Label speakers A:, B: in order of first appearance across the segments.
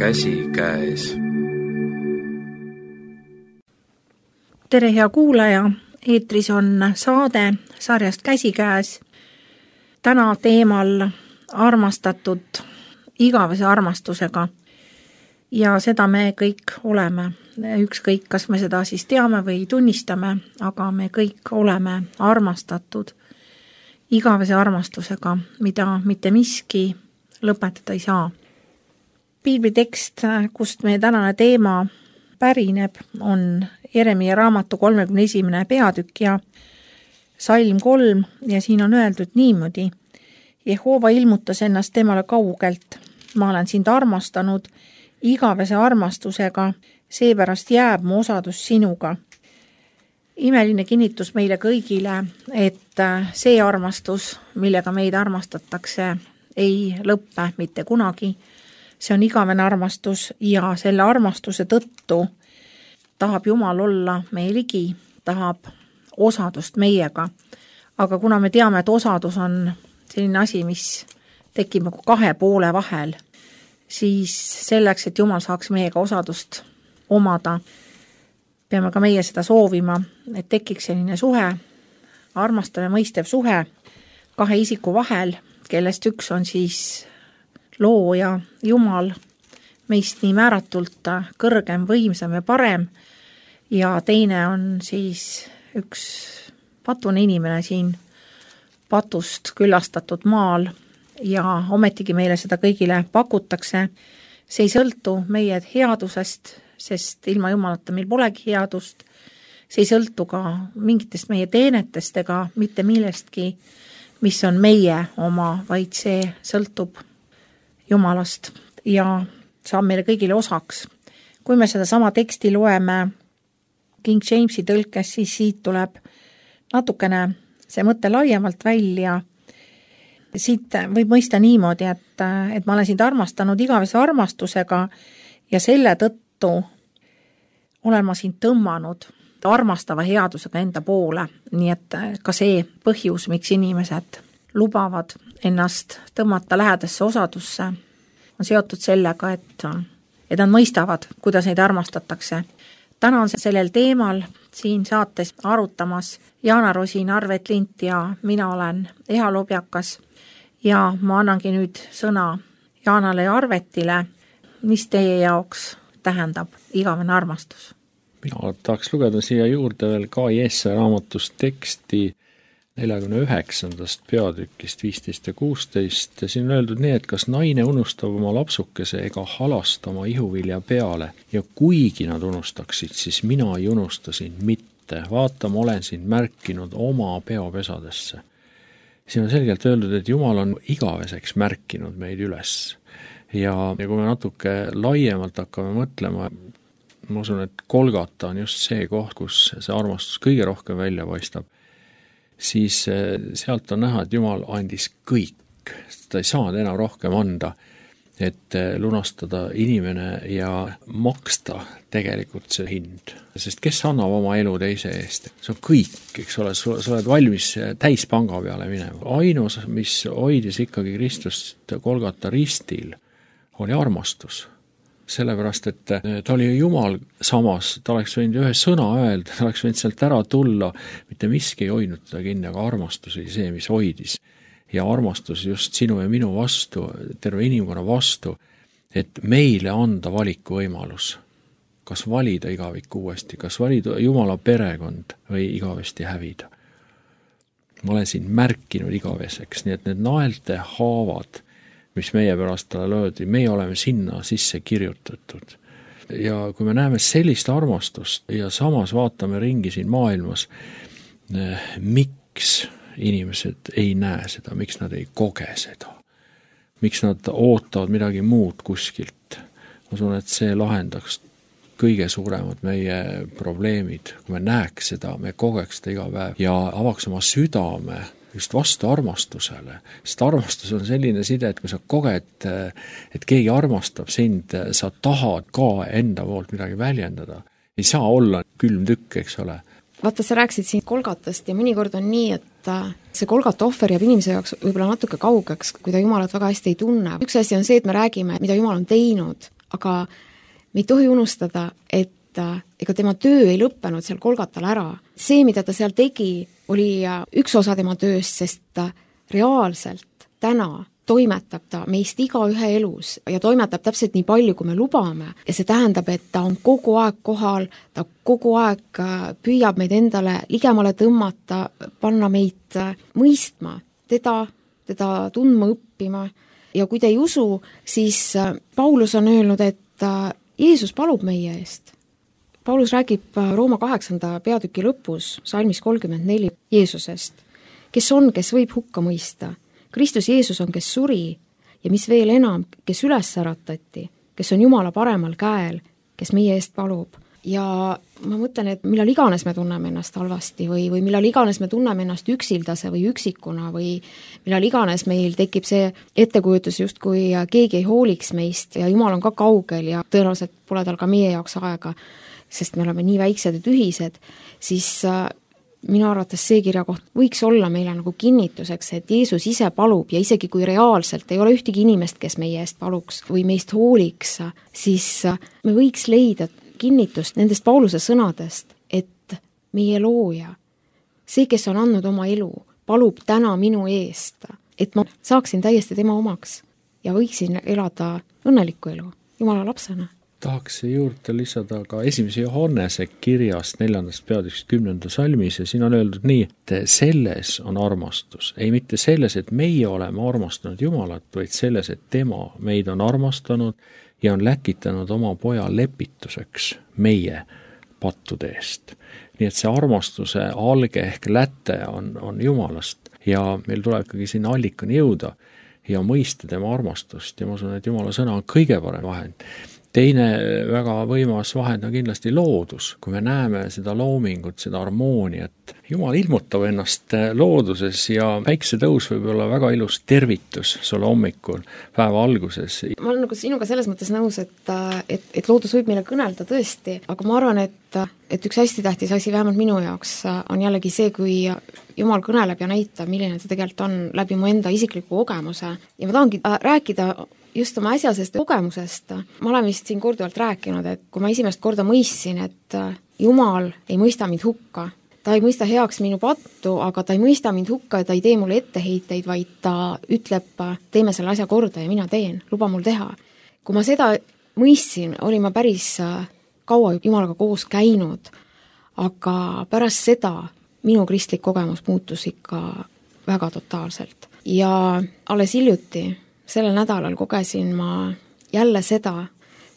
A: käsikäes.
B: Tere hea kuulaja, eetris on saade sarjast Käsikäes. Täna teemal armastatud igavese armastusega. Ja seda me kõik oleme. Ükskõik, kas me seda siis teame või tunnistame, aga me kõik oleme armastatud igavese armastusega, mida mitte miski lõpetada ei saa. Piiblitekst, kust meie tänane teema pärineb, on Jeremia raamatu 31. peatükk ja salm 3 ja siin on öeldud niimoodi. Jehova ilmutas ennast temale kaugelt. Ma olen sind armastanud igavese armastusega, seepärast jääb mu osadus sinuga. Imeline kinnitus meile kõigile, et see armastus, millega meid armastatakse, ei lõppe mitte kunagi. See on igavene armastus ja selle armastuse tõttu tahab Jumal olla meie ligi, tahab osadust meiega. Aga kuna me teame, et osadus on selline asi, mis tekib nagu kahe poole vahel, siis selleks, et Jumal saaks meiega osadust omada, peame ka meie seda soovima, et tekiks selline suhe, armastav ja mõistev suhe kahe isiku vahel, kellest üks on siis looja Jumal, meist nii määratult kõrgem, võimsam ja parem, ja teine on siis üks patune inimene siin patust küllastatud maal ja ometigi meile seda kõigile pakutakse. See ei sõltu meie headusest, sest ilma Jumalata meil polegi headust. See ei sõltu ka mingitest meie teenetest ega mitte millestki, mis on meie oma, vaid see sõltub Jumalast ja saab meile kõigile osaks. Kui me seda sama teksti loeme King Jamesi tõlkes, siis siit tuleb natukene see mõte laiemalt välja. Siit võib mõista niimoodi, et ma olen sind armastanud igavese armastusega ja selle tõttu olen ma sind tõmmanud armastava headusega enda poole. Nii et ka see põhjus, miks inimesed lubavad ennast tõmmata lähedasse osadusse, on seotud sellega, et nad mõistavad, kuidas neid armastatakse. Täna on sellel teemal siin saates arutamas Jaana Rosin, Arvet Lint ja mina olen Eha Lobjakas ja ma annangi nüüd sõna Jaanale ja Arvetile. Mis teie jaoks tähendab igavene armastus?
C: Mina tahaks lugeda siia juurde veel ka Jesaja raamatust teksti 49. peatükist 15 ja 16. Siin on öeldud nii, et kas naine unustab oma lapsukese ega halasta oma ihuvilja peale ja kuigi nad unustaksid, siis mina ei unusta sind mitte. Vaata, ma olen sind märkinud oma peopesadesse. Siin on selgelt öeldud, et Jumal on igaveseks märkinud meid üles. Ja kui me natuke laiemalt hakkame mõtlema, ma usun, et Golgata on just see koht, kus see armastus kõige rohkem välja paistab, siis sealt on näha, et Jumal andis kõik. Ta ei saanud enam rohkem anda, et lunastada inimene ja maksta tegelikult see hind. Sest kes annab oma elu teise eest? See on kõik, eks ole, sa oled valmis täispanga peale minema. Ainus, mis hoidis ikkagi Kristust Golgata ristil, oli armastus. Sellepärast, et ta oli Jumal samas, ta oleks võinud ühe sõna öelda, ta oleks võinud sealt ära tulla, mitte miski ei hoidnud teda kinni, aga armastus oli see, mis hoidis. Ja armastus just sinu ja minu vastu, terve inimkonna vastu, et meile anda valiku võimalus. Kas valida igavik uuesti, kas valida Jumala perekond või igavesti hävida. Ma olen siin märkinud igaveseks, nii et need naelte haavad, mis meie pärast talle löödi, meie oleme sinna sisse kirjutatud. Ja kui me näeme sellist armastust ja samas vaatame ringi siin maailmas, miks inimesed ei näe seda, miks nad ei koge seda, miks nad ootavad midagi muud kuskilt. Ma usun, et see lahendaks kõige suuremad meie probleemid, kui me näeks seda, me kogeks seda iga päev ja avaks oma südame just vastu armastusele. Sest armastus on selline side, et kui sa koged, et keegi armastab sind, sa tahad ka enda poolt midagi väljendada. Ei saa olla külm tükk, eks ole.
D: Vaata, sa rääksid siin Golgatast ja mõnikord on nii, et see Golgata ohver jääb inimese jaoks võib-olla natuke kaugeks, kui ta Jumalat väga hästi ei tunne. Üks asi on see, et me räägime, mida Jumal on teinud, aga me ei tohi unustada, et ega tema töö ei lõppenud seal Golgatal ära. See, mida ta seal tegi, oli üks osa tema tööst, sest reaalselt täna toimetab ta meist igaühe elus ja toimetab täpselt nii palju, kui me lubame. Ja see tähendab, et ta on kogu aeg kohal, ta kogu aeg püüab meid endale ligemale tõmmata, panna meid mõistma, teda tundma, õppima. Ja kui te ei usu, siis Paulus on öelnud, et Jeesus palub meie eest. Paulus räägib Rooma 8. peatüki lõpus, salmis 34 Jeesusest, kes võib hukka mõista. Kristus Jeesus on, kes suri ja mis veel enam, kes üles äratati, kes on Jumala paremal käel, kes meie eest palub. Ja ma mõtlen, et millal iganes me tunneme ennast halvasti või millal iganes me tunneme ennast üksildase või üksikuna või millal iganes meil tekib see ettekujutus just, kui keegi ei hooliks meist ja Jumal on ka kaugel ja tõenäoliselt pole tal ka meie jaoks aega, sest me oleme nii väiksed ja tühised, siis minu arvates see kirjakoht võiks olla meile nagu kinnituseks, et Jeesus ise palub ja isegi kui reaalselt ei ole ühtegi inimest, kes meie eest paluks või meist hooliks, siis me võiks leida kinnitust nendest Pauluse sõnadest, et meie looja, see, kes on andnud oma elu, palub täna minu eest, et ma saaksin täiesti tema omaks ja võiksin elada õnnelikku elu Jumala lapsena.
C: Tahaks juurde lisada ka 1. Johannese kirjast 4. peatükist 10. salmis ja siin on öeldud nii, et selles on armastus. Ei mitte selles, et meie oleme armastanud Jumalat, vaid selles, et tema meid on armastanud ja on läkitanud oma poja lepituseks meie pattude eest. Nii et see armastuse alge ehk läte on Jumalast ja meil tuleb ikkagi sinna allikani jõuda ja mõista tema armastust ja ma usun, et Jumala sõna on kõige parem vahend. Teine väga võimas vahend on kindlasti loodus, kui me näeme seda loomingut, seda harmooniat. Jumal ilmutab ennast looduses ja päiksetõus võib olla väga ilus tervitus sulle hommikul, päeva alguses.
D: Ma olen nagu sinuga selles mõttes nõus, et loodus võib meile kõnelda tõesti, aga ma arvan, et üks hästi tähtis asi vähemalt minu jaoks on jällegi see, kui Jumal kõneleb ja näitab, milline ta tegelikult on läbi mu enda isikliku kogemuse. Ja ma tahangi rääkida just oma äsjasest kogemusest. Ma olen vist siin korduvalt rääkinud, et kui ma esimest korda mõistsin, et Jumal ei mõista mind hukka, ta ei mõista heaks minu pattu, aga ta ei mõista mind hukka ja ta ei tee mulle etteheiteid, vaid ta ütleb, teeme selle asja korda ja mina teen, luba mul teha. Kui ma seda mõistsin, olin ma päris kaua Jumalaga koos käinud, aga pärast seda minu kristlik kogemus muutus ikka väga totaalselt. Ja alles hiljuti sellel nädalal kogesin ma jälle seda,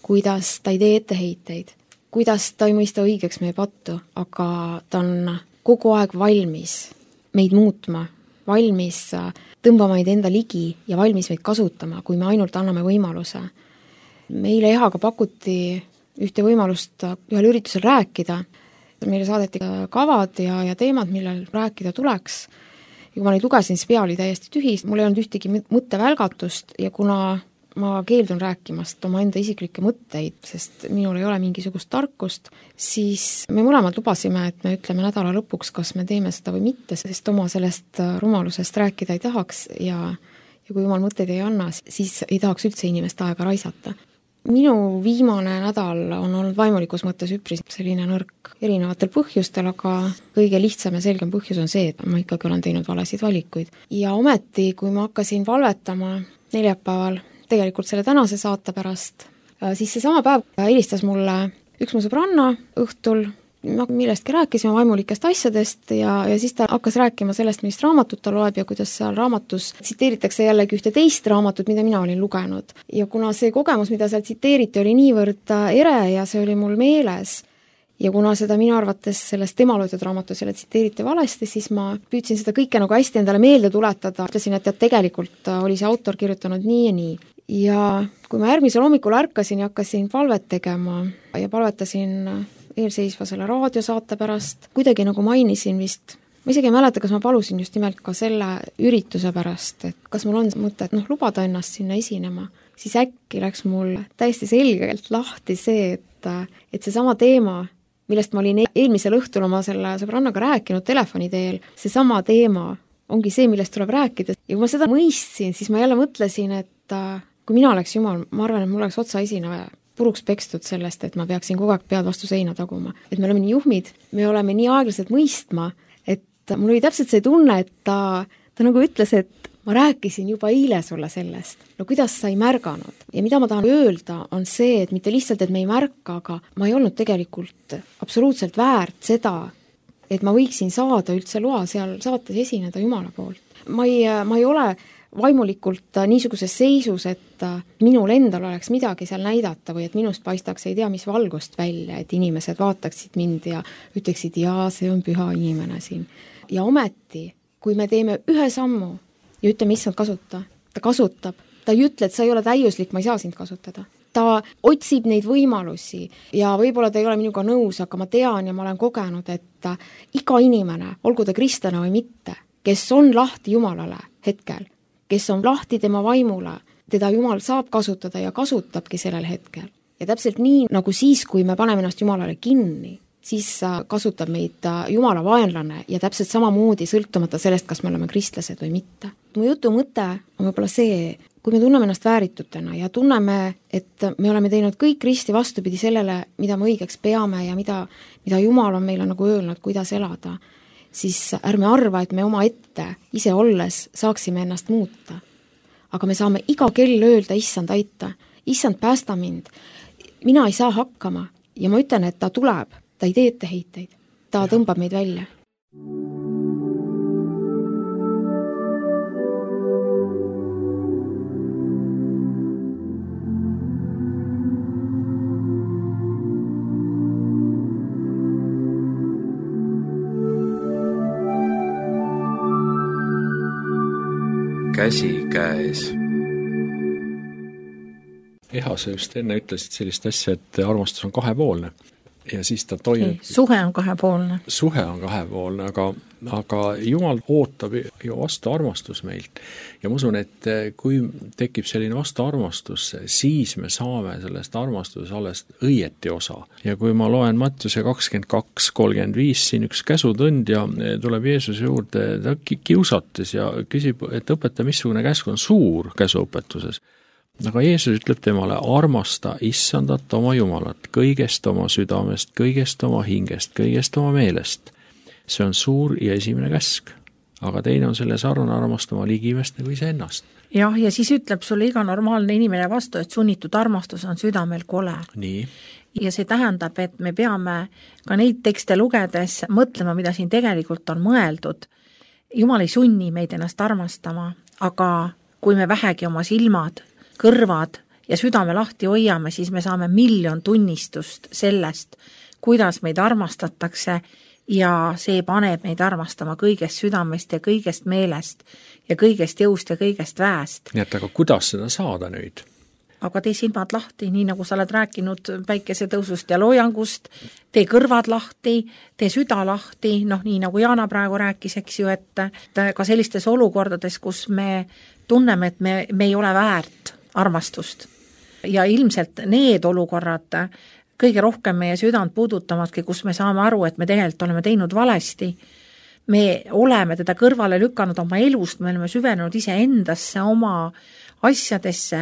D: kuidas ta ei tee etteheiteid, kuidas ta ei mõista õigeks meie pattu, aga ta on kogu aeg valmis meid muutma, valmis tõmbama meid enda ligi ja valmis meid kasutama, kui me ainult anname võimaluse. Meile Ehaga pakuti ühte võimalust ühel üritusel rääkida, meile saadeti kavad ja teemad, millel rääkida tuleks. Ja kui ma neid lugesin, siis pea oli täiesti tühis, mul ei olnud ühtegi mõttevälgatust ja kuna ma keeldun rääkimast oma enda isiklikke mõtteid, sest minul ei ole mingisugust tarkust, siis me mõlemad lubasime, et me ütleme nädala lõpuks, kas me teeme seda või mitte, sest oma sellest rumalusest rääkida ei tahaks ja kui Jumal mõtteid ei anna, siis ei tahaks üldse inimest aega raisata. Minu viimane nädal on olnud vaimulikus mõttes üpris selline nõrk erinevatel põhjustel, aga kõige lihtsam ja selgem põhjus on see, et ma ikkagi olen teinud valesid valikuid. Ja ometi, kui ma hakkasin valvetama neljapäeval, tegelikult selle tänase saate pärast, siis seesama päev helistas mulle üks mu sõbranna õhtul, millestki rääkisime vaimulikest asjadest ja siis ta hakkas rääkima sellest, millist raamatut ta loeb ja kuidas seal raamatus tsiteeritakse jällegi ühte teist raamatut, mida mina olin lugenud. Ja kuna see kogemus, mida seal tsiteeriti, oli niivõrd ere ja see oli mul meeles ja kuna seda minu arvates sellest tema loetud raamatus jälle tsiteeriti valesti, siis ma püüdsin seda kõike nagu hästi endale meelde tuletada, ütlesin, et tegelikult oli see autor kirjutanud nii ja nii. Ja kui ma järgmisel hommikul ärkasin ja hakkasin palvet tegema ja palvetasin eelseisva selle raadiosaate pärast, kuidagi nagu mainisin vist, ma isegi ei mäleta, kas ma palusin just nimelt ka selle ürituse pärast, et kas mul on mõte, et lubada ennast sinna esinema, siis äkki läks mul täiesti selgelt lahti see, et seesama teema, millest ma olin eelmisel õhtul oma selle sõbrannaga rääkinud telefoni teel, seesama teema ongi see, millest tuleb rääkida. Ja kui ma seda mõistsin, siis ma jälle mõtlesin, et kui mina oleks Jumal, ma arvan, et mul oleks otsa esine puruks pekstud sellest, et ma peaksin kogu aeg pead vastu seina taguma. Et me oleme nii juhmid, me oleme nii aeglaselt mõistma, et mul oli täpselt see tunne, et ta nagu ütles, et ma rääkisin juba eile sulle sellest. No kuidas sa ei märganud? Ja mida ma tahan öelda, on see, et mitte lihtsalt, et me ei märka, aga ma ei olnud tegelikult absoluutselt väärt seda, et ma võiksin saada üldse loa seal saates esineda Jumala poolt. Ma ei ole vaimulikult niisuguses seisus, et minul endal oleks midagi seal näidata või et minust paistaks ei tea mis valgust välja, et inimesed vaataksid mind ja ütleksid, jaa, see on püha inimene siin. Ja ometi, kui me teeme ühe sammu ja ütleme, issand, kasuta, ta kasutab, ta ei ütle, et sa ei ole täiuslik, ma ei saa sind kasutada. Ta otsib neid võimalusi ja võib-olla ta ei ole minuga nõus, aga ma tean ja ma olen kogenud, et iga inimene, olgu ta kristlane või mitte, kes on lahti Jumalale hetkel, kes on lahti tema vaimule, teda Jumal saab kasutada ja kasutabki sellel hetkel. Ja täpselt nii, nagu siis, kui me paneme ennast Jumalale kinni, siis kasutab meid Jumala vaenlane ja täpselt samamoodi sõltumata sellest, kas me oleme kristlased või mitte. Mu jutu mõte on võib-olla see, kui me tunneme ennast vääritutena ja tunneme, et me oleme teinud kõik risti vastupidi sellele, mida me õigeks peame ja mida Jumal on meile nagu öelnud, kuidas elada, siis ärme arva, et me oma ette ise olles saaksime ennast muuta. Aga me saame iga kell öelda, issand, aita, issand, päästa mind, mina ei saa hakkama ja ma ütlen, et ta tuleb, ta ei tee etteheiteid, ta tõmbab meid välja.
A: Käsi käes.
C: Sa just enne ütlesid sellist asja, et armastus on kahepoolne ja siis ta toimub.
B: Suhe on kahepoolne.
C: Suhe on kahepoolne, aga Jumal ootab ju vastu armastus meilt. Ja ma usun, et kui tekib selline vastu armastus, siis me saame sellest armastus alles õieti osa. Ja kui ma loen Mattiuse 22:35, siin üks käsutõnd ja tuleb Jeesuse juurde, ta kiusates ja küsib, et õpeta, missugune käsk on suur käsuõpetuses. Aga Jeesus ütleb temale, armasta issandat oma Jumalat, kõigest oma südamest, kõigest oma hingest, kõigest oma meelest. See on suur ja esimene käsk, aga teine on selle sarnane armastama ligimest nagu ise ennast.
B: Jah, ja siis ütleb sulle iga normaalne inimene vastu, et sunnitud armastus on südamel kole.
C: Nii.
B: Ja see tähendab, et me peame ka neid tekste lugedes mõtlema, mida siin tegelikult on mõeldud. Jumal ei sunni meid ennast armastama, aga kui me vähegi oma silmad, kõrvad ja südame lahti hoiame, siis me saame 1,000,000 tunnistust sellest, kuidas meid armastatakse ja see paneb meid armastama kõigest südamest ja kõigest meelest ja kõigest jõust ja kõigest väest.
C: Nii et aga kuidas seda saada nüüd?
B: Aga tee silmad lahti, nii nagu sa oled rääkinud päikesetõusust ja loojangust, tee kõrvad lahti, tee süda lahti, nii nagu Jaana praegu rääkis, eks ju, et ka sellistes olukordades, kus me tunneme, et me ei ole väärt armastust. Ja ilmselt need olukorrad kõige rohkem meie südant puudutavadki, kus me saame aru, et me tegelikult oleme teinud valesti. Me oleme teda kõrvale lükanud oma elust, me oleme süvenenud ise endasse, oma asjadesse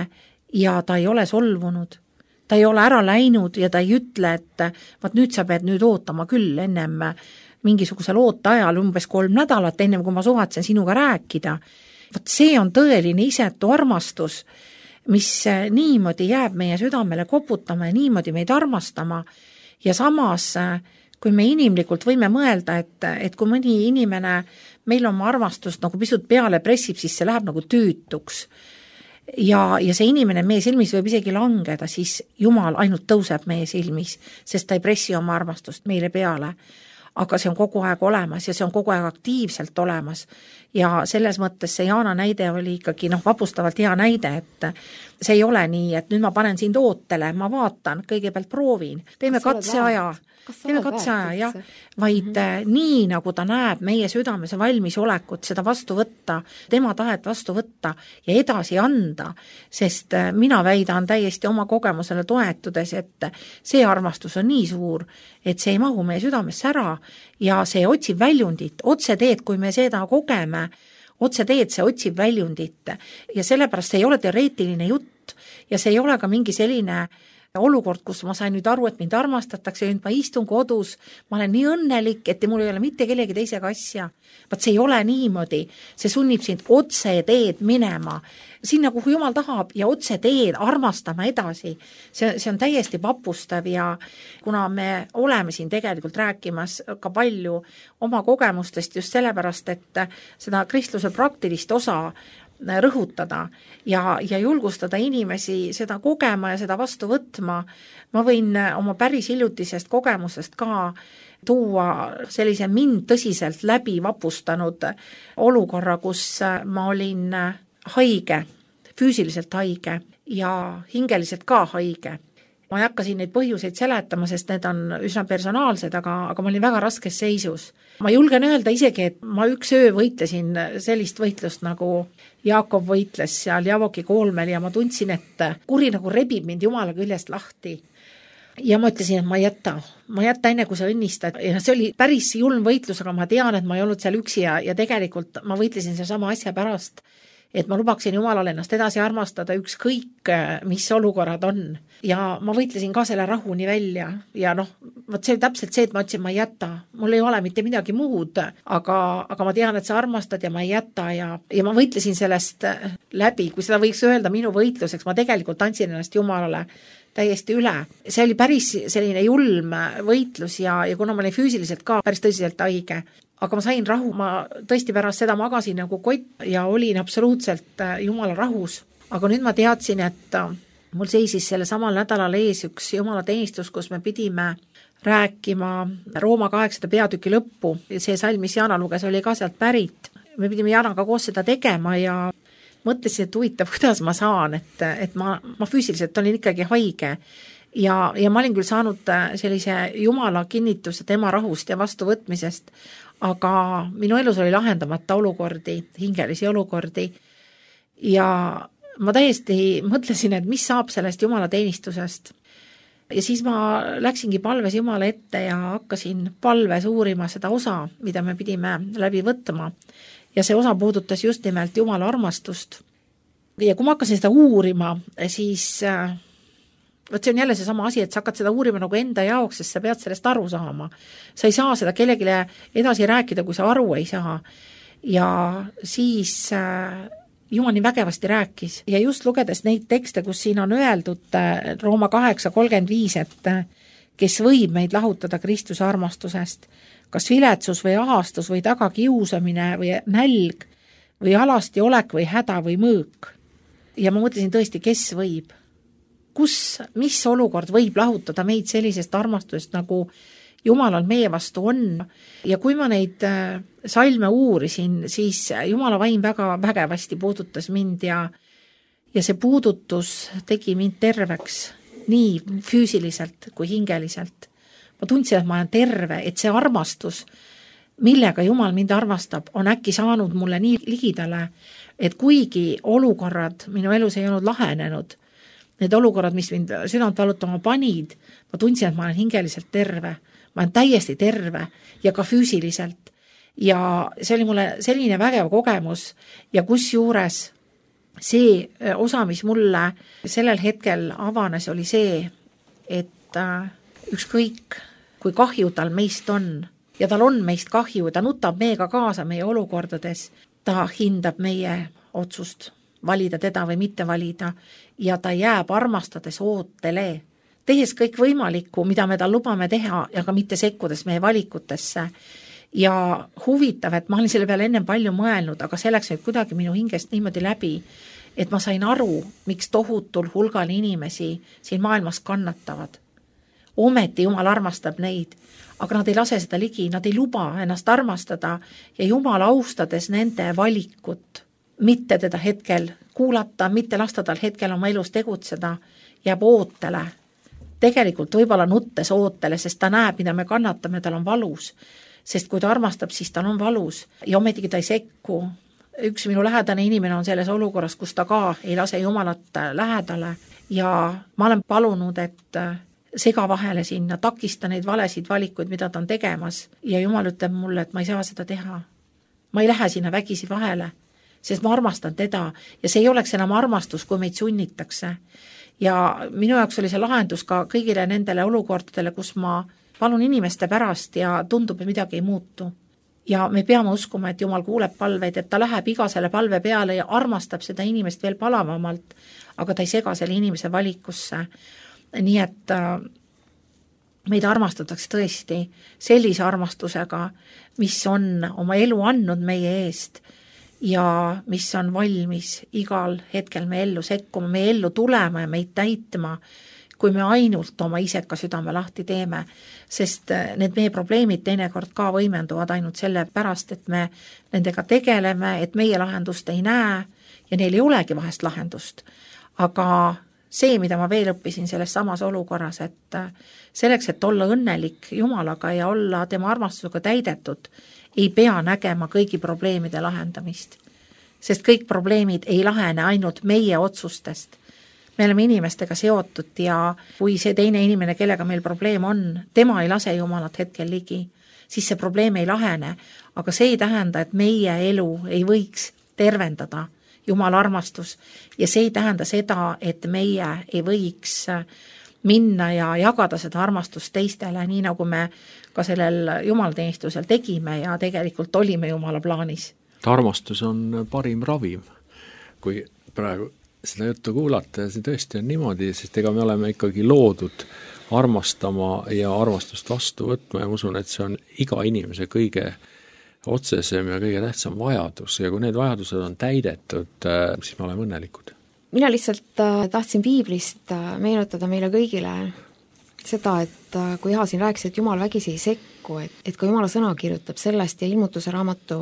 B: ja ta ei ole solvunud. Ta ei ole ära läinud ja ta ei ütle, et vaat nüüd sa pead nüüd ootama küll ennem mingisugusel ooteajal umbes 3 nädalat, ennem kui ma suvatsen sinuga rääkida. Vaat see on tõeline isetu armastus, mis niimoodi jääb meie südamele koputama ja niimoodi meid armastama. Ja samas, kui me inimlikult võime mõelda, et kui mõni inimene meil oma armastust nagu pisut peale pressib, siis see läheb nagu tüütuks. Ja see inimene meie silmis võib isegi langeda, siis Jumal ainult tõuseb meie silmis, sest ta ei pressi oma armastust meile peale. Aga see on kogu aeg olemas ja see on kogu aeg aktiivselt olemas. Ja selles mõttes see Jaana näide oli ikkagi vapustavalt hea näide, et see ei ole nii, et nüüd ma panen sind ootele, ma vaatan, kõigepealt proovin, teeme katseaja, jah, vaid nii, nagu ta näeb meie südames valmisolekut seda vastu võtta, tema tahet vastu võtta ja edasi anda, sest mina väidan täiesti oma kogemusele toetudes, et see armastus on nii suur, et see ei mahu meie südamesse ära ja see otsib väljundit, otseteed, kui me seda kogeme, otseteed see otsib väljundit ja sellepärast see ei ole teoreetiline jutt ja see ei ole ka mingi selline olukord, kus ma sain nüüd aru, et mind armastatakse, nüüd ma istun kodus, ma olen nii õnnelik, et mul ei ole mitte kellegi teisega asja. Vaat see ei ole niimoodi, see sunnib sind otse teed minema, sinna, kuhu Jumal tahab ja otse teed armastama edasi. See on täiesti vapustav ja kuna me oleme siin tegelikult rääkimas ka palju oma kogemustest just sellepärast, et seda kristluse praktilist osa rõhutada ja julgustada inimesi seda kogema ja seda vastu võtma. Ma võin oma päris hiljutisest kogemusest ka tuua sellise mind tõsiselt läbi vapustanud olukorra, kus ma olin haige, füüsiliselt haige ja hingeliselt ka haige. Ma ei hakka siin neid põhjuseid seletama, sest need on üsna personaalsed, aga ma olin väga raskes seisus. Ma julgen öelda isegi, et ma üks öö võitlesin sellist võitlust, nagu Jaakob võitles seal Javoki koolmel ja ma tundsin, et kuri nagu rebib mind Jumala küljest lahti. Ja ma ütlesin, et ma ei jäta enne, kui sa õnnistad. Ja see oli päris julm võitlus, aga ma tean, et ma ei olnud seal üksi ja tegelikult ma võitlesin selle sama asja pärast, et ma lubaksin Jumalale ennast edasi armastada ükskõik, mis olukorrad on. Ja ma võitlesin ka selle rahuni välja ja vot see täpselt see, et ma ütlesin, ma ei jäta. Mul ei ole mitte midagi muud, aga ma tean, et sa armastad ja ma ei jäta ja ma võitlesin sellest läbi, kui seda võiks öelda minu võitluseks, ma tegelikult andsin ennast Jumalale täiesti üle. See oli päris selline julm võitlus ja kuna ma olin füüsiliselt ka päris tõsiselt haige, aga ma sain rahu, ma tõesti pärast seda magasin nagu kott ja olin absoluutselt Jumala rahus. Aga nüüd ma teadsin, et mul seisis selle samal nädalal ees üks Jumala teenistus, kus me pidime rääkima Rooma 8. peatüki lõppu ja see salm, mis Jana luges, oli ka sealt pärit. Me pidime Janaga koos seda tegema ja mõtlesin, et huvitav, kuidas ma saan, et ma füüsiliselt olin ikkagi haige ja ma olin küll saanud sellise Jumala kinnituse tema rahust ja vastuvõtmisest, aga minu elus oli lahendamata olukordi, hingelisi olukordi ja ma täiesti mõtlesin, et mis saab sellest Jumala teenistusest. Ja siis ma läksingi palves Jumala ette ja hakkasin palves uurima seda osa, mida me pidime läbi võtma. Ja see osa puudutas just nimelt Jumala armastust. Ja kui ma hakkasin seda uurima, siis võt see on jälle see sama asi, et sa hakkad seda uurima nagu enda jaoks, sest sa pead sellest aru saama. Sa ei saa seda kellelegi edasi rääkida, kui sa aru ei saa. Ja siis Jumal nii vägevasti rääkis ja just lugedes neid tekste, kus siin on öeldud Rooma 8:35, et kes võib meid lahutada Kristuse armastusest, kas viletsus või ahastus või tagakiusamine või nälg või alasti olek või häda või mõõk. Ja ma mõtlesin tõesti, kes võib? Mis olukord võib lahutada meid sellisest armastusest, nagu Jumalal meie vastu on? Ja kui ma neid salme uurisin, siis Jumala vaim väga vägevasti puudutas mind ja see puudutus tegi mind terveks nii füüsiliselt kui hingeliselt. Ma tundsin, et ma olen terve, et see armastus, millega Jumal mind armastab, on äkki saanud mulle nii ligidale, et kuigi olukorrad minu elus ei olnud lahenenud, need olukorrad, mis mind südant valutama panid, ma tundsin, et ma olen hingeliselt terve, ma olen täiesti terve ja ka füüsiliselt. Ja see oli mulle selline vägev kogemus ja kusjuures see osa, mis mulle sellel hetkel avanes, oli see, et ükskõik, kui kahju tal meist on ja tal on meist kahju ja ta nutab meiega kaasa meie olukordades, ta hindab meie otsust valida teda või mitte valida ja ta jääb armastades ootele, tehes kõik võimalikku, mida me tal lubame teha ja ka mitte sekkudes meie valikutesse. Ja huvitav, et ma olin selle peale ennem palju mõelnud, aga selleks nüüd kuidagi minu hingest niimoodi läbi, et ma sain aru, miks tohutul hulgal inimesi siin maailmas kannatavad. Ometi Jumal armastab neid, aga nad ei lase seda ligi, nad ei luba ennast armastada ja Jumal austades nende valikut, mitte teda hetkel kuulata, mitte lasta tal hetkel oma elus tegutseda, jääb ootele. Tegelikult võib-olla nuttes ootele, sest ta näeb, mida me kannatame, tal on valus. Sest kui ta armastab, siis tal on valus ja ometigi ta ei sekku. Üks minu lähedane inimene on selles olukorras, kus ta ka ei lase Jumalat lähedale ja ma olen palunud, et sega vahele sinna, takista neid valesid valikuid, mida ta on tegemas ja Jumal ütleb mulle, et ma ei saa seda teha. Ma ei lähe sinna vägisi vahele, sest ma armastan teda ja see ei oleks enam armastus, kui meid sunnitakse. Ja minu jaoks oli see lahendus ka kõigile nendele olukordadele, kus ma palun inimeste pärast ja tundub, et midagi ei muutu. Ja me peame uskuma, et Jumal kuuleb palveid, et ta läheb iga selle palve peale ja armastab seda inimest veel palavamalt, aga ta ei sega selle inimese valikusse. Nii et meid armastatakse tõesti sellise armastusega, mis on oma elu andnud meie eest ja mis on valmis igal hetkel me ellu sekkuma, me ellu tulema ja meid täitma, kui me ainult oma iseka südame lahti teeme, sest need meie probleemid teinekord ka võimenduvad ainult selle pärast, et me nendega tegeleme, et meie lahendust ei näe ja neil ei olegi vahest lahendust. Aga see, mida ma veel õppisin selles samas olukorras, et selleks, et olla õnnelik Jumalaga ja olla tema armastusega täidetud, ei pea nägema kõigi probleemide lahendamist. Sest kõik probleemid ei lahene ainult meie otsustest. Me oleme inimestega seotud ja kui see teine inimene, kellega meil probleem on, tema ei lase Jumalat hetkel ligi, siis see probleem ei lahene. Aga see ei tähenda, et meie elu ei võiks tervendada Jumala armastus ja see ei tähenda seda, et meie ei võiks minna ja jagada seda armastust teistele, nii nagu me ka sellel jumalateenistusel tegime ja tegelikult olime Jumala plaanis.
C: Armastus on parim ravim, kui praegu seda juttu kuulata ja see tõesti on niimoodi, sest ega me oleme ikkagi loodud armastama ja armastust vastu võtma ja ma usun, et see on iga inimese kõige otsesem ja kõige tähtsam vajadus ja kui need vajadused on täidetud, siis me oleme õnnelikud.
D: Mina lihtsalt tahtsin Piiblist meenutada meile kõigile seda, et kui Iha siin rääkis, et Jumal vägisi ei sekku, et ka Jumala sõna kirjutab sellest ja Ilmutuse raamatu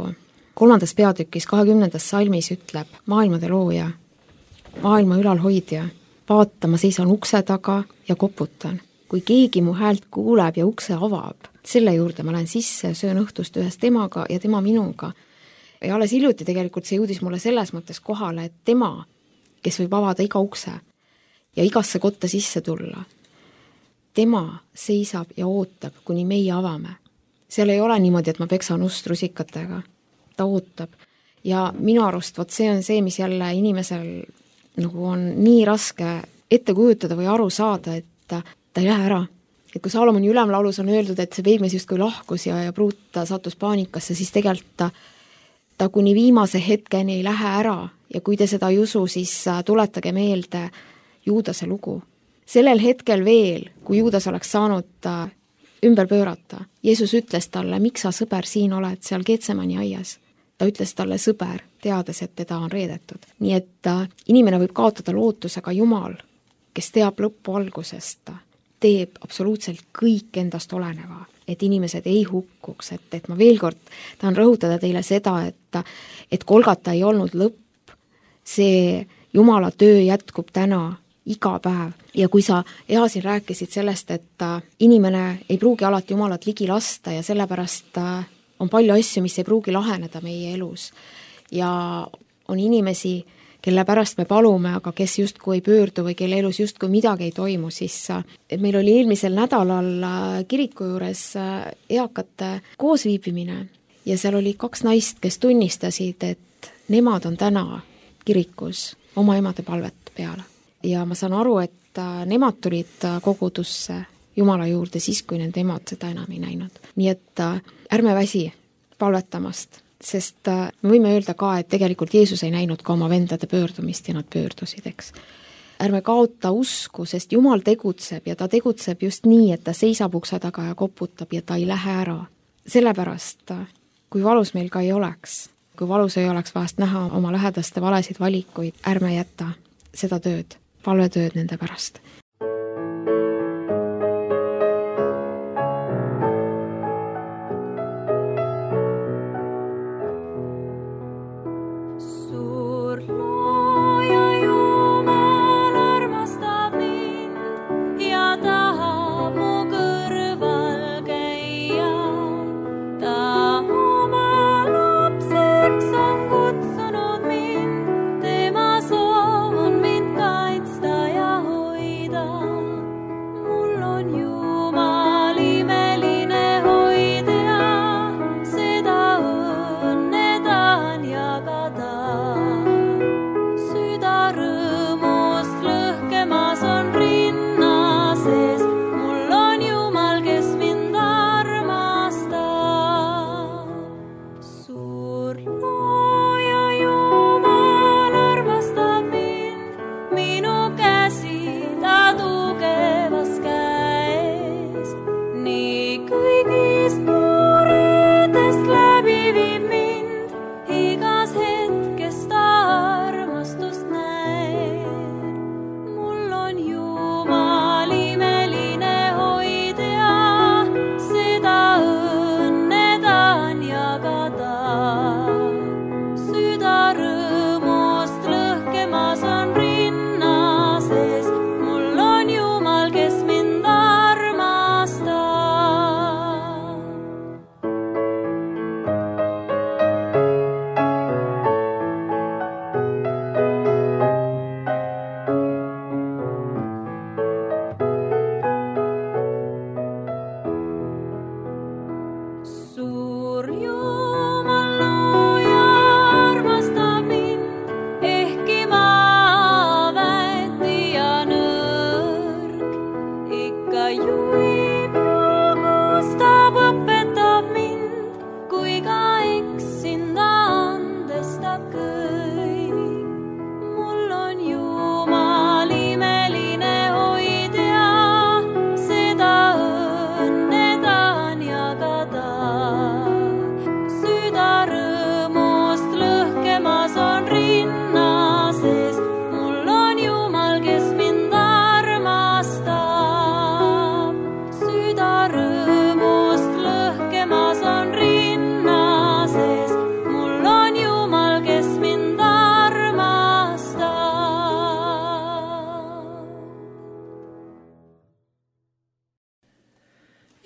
D: 3. peatükis 20. salmis ütleb maailmade looja, maailma ülalhoidja, vaata, ma seisan ukse taga ja koputan. Kui keegi mu häält kuuleb ja ukse avab, selle juurde ma lähen sisse ja söön õhtust ühes temaga ja tema minuga. Ja alles hiljuti tegelikult see jõudis mulle selles mõttes kohale, et tema, kes võib avada iga ukse ja igasse kotta sisse tulla, tema seisab ja ootab, kuni meie avame. Seal ei ole niimoodi, et ma peksan ust rusikatega. Ta ootab. Ja minu arust see on see, mis jälle inimesel nagu on nii raske ette kujutada või aru saada, et ta ei lähe ära. Et kui Saalomoni ülemlaulus on öeldud, et see peigmees justkui lahkus ja pruut sattus paanikasse, siis tegelikult ta kuni viimase hetkeni ei lähe ära ja kui te seda ei usu, siis tuletage meelde Juudase lugu. Sellel hetkel veel, kui Juudas oleks saanud ümber pöörata, Jeesus ütles talle, miks sa sõber siin oled seal Getsemani aias? Ta ütles talle sõber, teades, et teda on reedetud. Nii et inimene võib kaotada lootuse, aga Jumal, kes teab lõppu algusest, teeb absoluutselt kõik endast oleneva, et inimesed ei hukkuks, et ma veel kord tahan rõhutada teile seda, et Golgata ei olnud lõpp, see Jumala töö jätkub täna iga päev ja kui sa Iha siin rääkisid sellest, et inimene ei pruugi alati Jumalat ligi lasta ja sellepärast on palju asju, mis ei pruugi laheneda meie elus ja on inimesi, kelle pärast me palume, aga kes justkui ei pöördu või kelle elus justkui midagi ei toimu, siis meil oli eelmisel nädalal kiriku juures eakate koosviibimine ja seal oli 2 naist, kes tunnistasid, et nemad on täna kirikus oma emade palvet peale. Ja ma saan aru, et nemad tulid kogudusse Jumala juurde siis, kui nende emad seda enam ei näinud. Nii et ärme väsi palvetamast, sest me võime öelda ka, et tegelikult Jeesus ei näinud ka oma vendade pöördumist ja nad pöördusid, eks. Ärme kaota usku, sest Jumal tegutseb ja ta tegutseb just nii, et ta seisab ukse taga ja koputab ja ta ei lähe ära. Sellepärast, kui valus meil ka ei oleks, kui valus ei oleks vahest näha oma lähedaste valesid valikuid, ärme jätta seda tööd, palvetööd nende pärast.
E: Hoida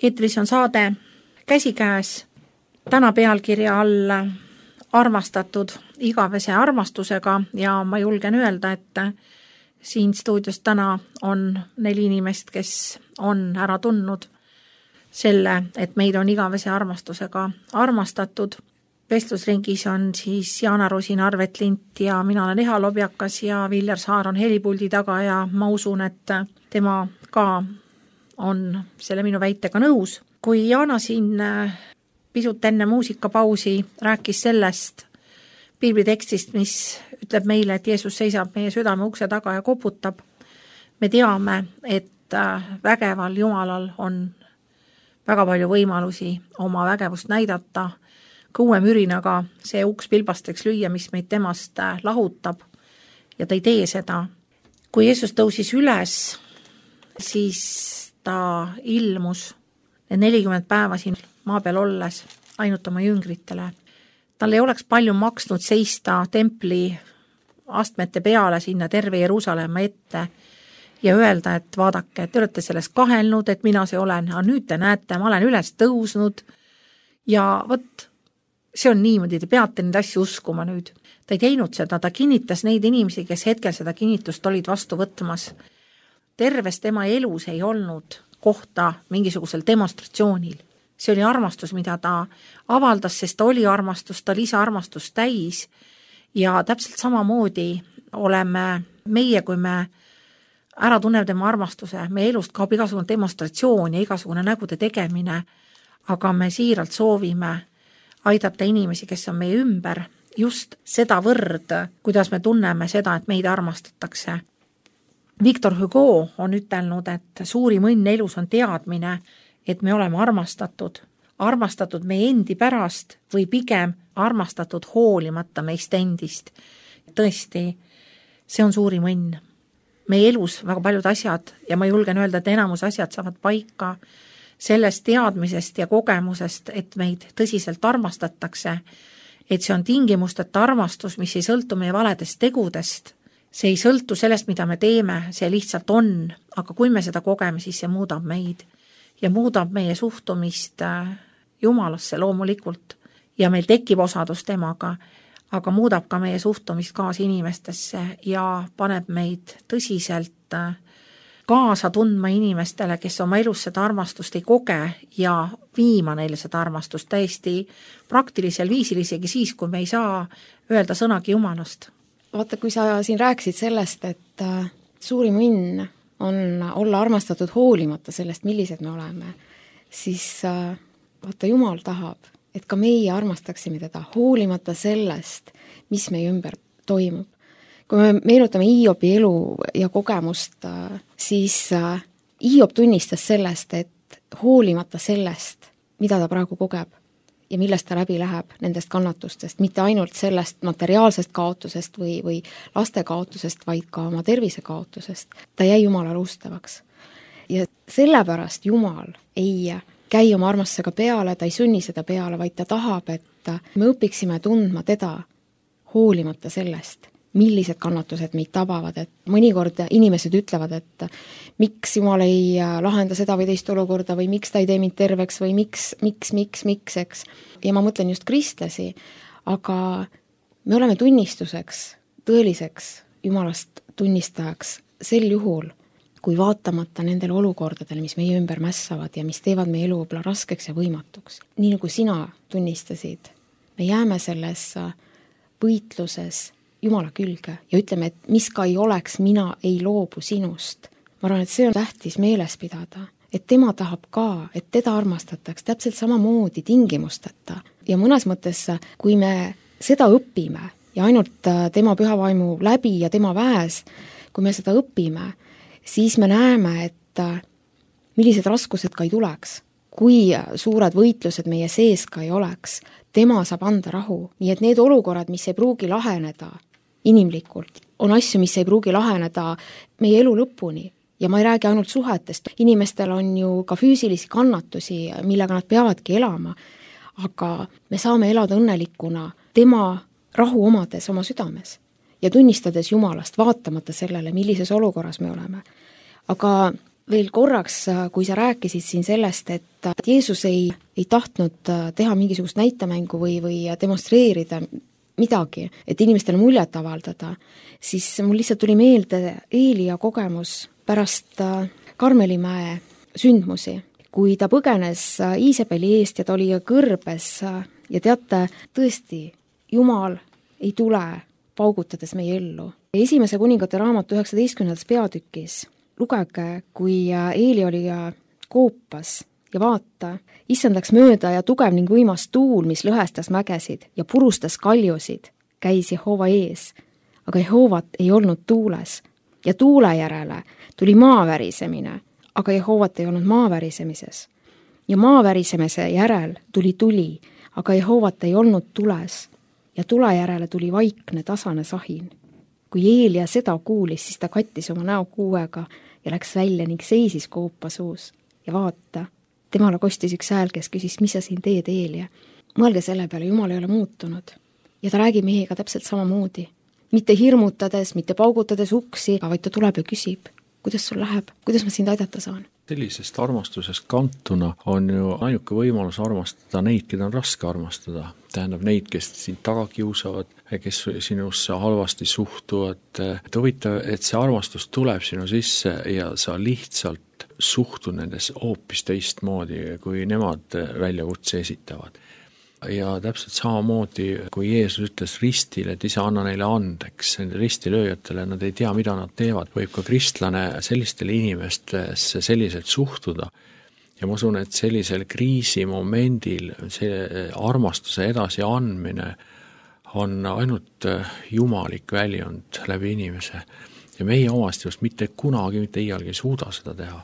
B: eetris on saade Käsikäes, täna pealkirja all armastatud igavese armastusega ja ma julgen öelda, et siin stuudios täna on 4 inimest, kes on ära tundnud selle, et meid on igavese armastusega armastatud. Vestlusringis on siis Jaana Rosin, Arvet Lint ja mina olen Eha Lobjakas ja Viljar Saar on helipuldi taga ja ma usun, et tema ka on selle minu väitega nõus. Kui Jaana siin pisut enne muusikapausi rääkis sellest piiblitekstist, mis ütleb meile, et Jeesus seisab meie südame ukse taga ja koputab, me teame, et vägeval Jumalal on väga palju võimalusi oma vägevust näidata, kõue mürinaga see uks pilbasteks lüüa, mis meid temast lahutab ja ta ei tee seda. Kui Jeesus tõusis üles, siis ta ilmus need 40 päeva siin maa peal olles ainult oma jüngritele. Tal ei oleks palju maksnud seista templi astmete peale sinna terve Jeruusalemma ette ja öelda, et vaadake, te olete sellest kahelnud, et mina see olen, aga nüüd te näete, ma olen üles tõusnud ja vot, see on niimoodi, te peate neid asju uskuma nüüd. Ta ei teinud seda, ta kinnitas neid inimesi, kes hetkel seda kinnitust olid vastu võtmas. Terves tema elus ei olnud kohta mingisugusel demonstratsioonil. See oli armastus, mida ta avaldas, sest ta oli armastus, ta lisaarmastust täis ja täpselt samamoodi oleme meie, kui me ära tunneb tema armastuse, meie elust kaob igasugune demonstratsioon ja igasugune nägude tegemine, aga me siiralt soovime aidata inimesi, kes on meie ümber, just seda võrd, kuidas me tunneme seda, et meid armastatakse. Victor Hugo on ütelnud, et suurim õnn elus on teadmine, et me oleme armastatud. Armastatud meie endi pärast või pigem armastatud hoolimata meist endist. Tõesti, see on suurim õnn. Meie elus väga paljud asjad ja ma julgen öelda, et enamus asjad saavad paika sellest teadmisest ja kogemusest, et meid tõsiselt armastatakse, et see on tingimusteta armastus, mis ei sõltu meie valedest tegudest. See ei sõltu sellest, mida me teeme, see lihtsalt on, aga kui me seda kogeme, siis see muudab meid ja muudab meie suhtumist Jumalasse loomulikult ja meil tekib osadus temaga, aga muudab ka meie suhtumist kaasinimestesse ja paneb meid tõsiselt kaasa tundma inimestele, kes oma elus seda armastust ei koge ja viima neile seda armastust täiesti praktilisel viisil, isegi siis, kui me ei saa öelda sõnagi Jumalast.
D: Vaata, kui sa siin rääkisid sellest, et suurim õnn on olla armastatud hoolimata sellest, millised me oleme, siis vaata, Jumal tahab, et ka meie armastaksime teda hoolimata sellest, mis meie ümber toimub. Kui me meenutame Hiobi elu ja kogemust, siis Hiob tunnistas sellest, et hoolimata sellest, mida ta praegu kogeb ja millest ta läbi läheb nendest kannatustest, mitte ainult sellest materiaalsest kaotusest või laste kaotusest, vaid ka oma tervise kaotusest, ta jäi Jumalale ustavaks. Ja sellepärast Jumal ei käi oma armastusega peale, ta ei sunni seda peale, vaid ta tahab, et me õpiksime tundma teda hoolimata sellest, millised kannatused meid tabavad, et mõnikord inimesed ütlevad, et miks Jumal ei lahenda seda või teist olukorda või miks ta ei tee mind terveks või miks, eks. Ja ma mõtlen just kristlasi, aga me oleme tunnistuseks, tõeliseks Jumalast tunnistajaks sel juhul, kui vaatamata nendele olukordadele, mis meie ümber mässavad ja mis teevad meie elu võib-olla raskeks ja võimatuks. Nii nagu sina tunnistasid, me jääme selles võitluses Jumala külge ja ütleme, et mis ka ei oleks, mina ei loobu sinust. Ma arvan, et see on tähtis meeles pidada, et tema tahab ka, et teda armastataks täpselt samamoodi tingimusteta. Ja mõnes mõttes, kui me seda õpime ja ainult tema pühavaimu läbi ja tema väes, kui me seda õpime, siis me näeme, et millised raskused ka ei tuleks. Kui suured võitlused meie sees ka ei oleks, tema saab anda rahu. Nii et need olukorrad, mis ei pruugi laheneda inimlikult, on asju, mis ei pruugi laheneda meie elu lõpuni. Ja ma ei räägi ainult suhetest. Inimestel on ju ka füüsilisi kannatusi, millega nad peavadki elama. Aga me saame elada õnnelikuna tema rahu omades oma südames ja tunnistades Jumalast, vaatamata sellele, millises olukorras me oleme. Aga veel korraks, kui sa rääkisid siin sellest, et Jeesus ei tahtnud teha mingisugust näitemängu või demonstreerida midagi, et inimestele muljet avaldada, siis mul lihtsalt tuli meelde Eelia kogemus pärast Karmelimäe sündmusi, kui ta põgenes Iisabeli eest ja ta oli kõrbes ja teate, tõesti, Jumal ei tule paugutades meie ellu. Esimese kuningate raamatu 19. peatükis lugege, kui Eeli oli koopas ja vaata, issand läks mööda ja tugev ning võimas tuul, mis lõhestas mägesid ja purustas kaljusid, käis Jehova ees, aga Jehovat ei olnud tuules ja tuule järele tuli maavärisemine, aga Jehovat ei olnud maavärisemises. Ja maavärisemise järel tuli tuli, aga Jehovat ei olnud tules ja tule järele tuli vaikne tasane sahin. Kui Eelia seda kuulis, siis ta kattis oma näo kuuega ja läks välja ning seisis koopa suus. Ja vaata, temale kostis üks hääl, kes küsis, mis sa siin teed, Eelia? Mõelge selle peale, Jumal ei ole muutunud. Ja ta räägib meiega täpselt samamoodi. Mitte hirmutades, mitte paugutades uksi, vaid ta tuleb ja küsib, kuidas sul läheb, kuidas ma sind aidata saan?
C: Sellisest armastusest kantuna on ju ainuke võimalus armastada neid, keda on raske armastada. Tähendab neid, kes sind taga kiusavad, kes sinusse halvasti suhtuvad. Et huvitav, et see armastus tuleb sinu sisse ja sa lihtsalt suhtud nendes hoopis teistmoodi, kui nemad väljakutse esitavad. Ja täpselt samamoodi, kui Jeesus ütles ristile, et isa anna neile andeks, nende ristilööjatele, nad ei tea, mida nad teevad, võib ka kristlane sellistele inimestesse selliselt suhtuda. Ja ma usun, et sellisel kriisimomendil see armastuse edasi andmine on ainult jumalik väljund läbi inimese. Ja meie omast just mitte kunagi, mitte iialgi ei suuda seda teha.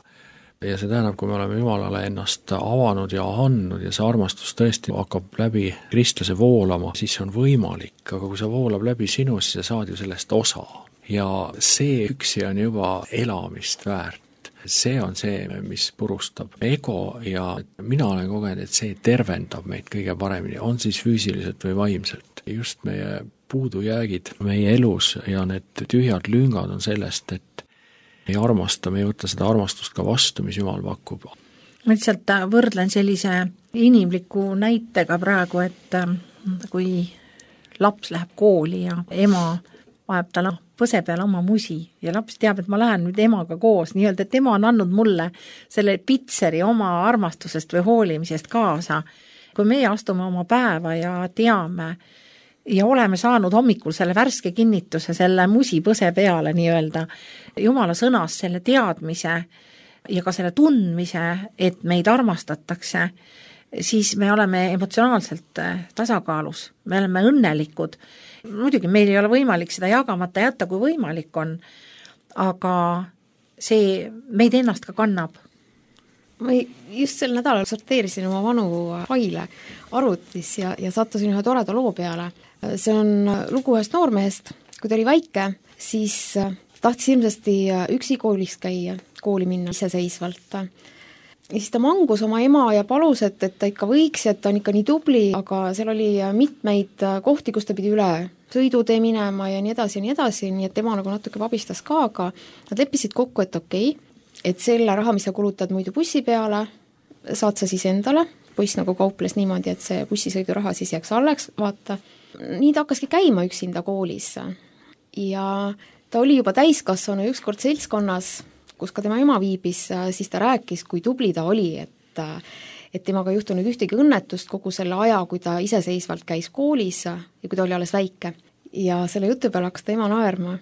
C: Ja see tähendab, kui me oleme Jumalale ennast avanud ja andnud ja see armastus tõesti hakkab läbi kristlase voolama, siis see on võimalik, aga kui see voolab läbi sinu, siis sa saad ju sellest osa. Ja see üksi on juba elamist väärt. See on see, mis purustab ego ja mina olen kogenud, et see tervendab meid kõige paremini, on siis füüsiliselt või vaimselt. Just meie puudujäägid meie elus ja need tühjad lüngad on sellest, et ei armasta, me ei võta seda armastust ka vastu, mis Jumal pakub.
B: Ma lihtsalt võrdlen sellise inimliku näitega praegu, et kui laps läheb kooli ja ema vajab talle põse peale oma musi ja laps teab, et ma lähen nüüd emaga koos, nii-öelda, et ema on andnud mulle selle pitseri oma armastusest või hoolimisest kaasa. Kui meie astume oma päeva ja teame ja oleme saanud hommikul selle värske kinnituse, selle musipõse peale nii-öelda, Jumala sõnas selle teadmise ja ka selle tundmise, et meid armastatakse, siis me oleme emotsionaalselt tasakaalus, me oleme õnnelikud. Muidugi meil ei ole võimalik seda jagamata jätta, kui võimalik on, aga see meid ennast ka kannab.
D: Ma just sel nädalal sorteerisin oma vanu faile arvutis ja sattusin ühe toreda loo peale. See on lugu ühest noormehest, kui ta oli väike, siis tahtis ilmsesti üksi koolis käia, kooli minna iseseisvalt. Ja siis ta mangus oma ema ja palus, et ta ikka võiks, et ta on ikka nii tubli, aga seal oli mitmeid kohti, kus ta pidi üle sõidutee minema ja nii edasi, nii et tema nagu natuke vabistas ka, aga nad leppisid kokku, et okei, et selle raha, mis sa kulutad muidu bussi peale, saad sa siis endale, poiss nagu kauples niimoodi, et see bussisõiduraha siis jääks alleks, vaata. Nii ta hakkaski käima üksinda koolis ja ta oli juba täiskasvanu ükskord seltskonnas, kus ka tema ema viibis, siis ta rääkis, kui tubli ta oli, et temaga juhtunud ühtegi õnnetust kogu selle aja, kui ta iseseisvalt käis koolis ja kui ta oli alles väike. Ja selle jutu peale hakkas ta ema naerma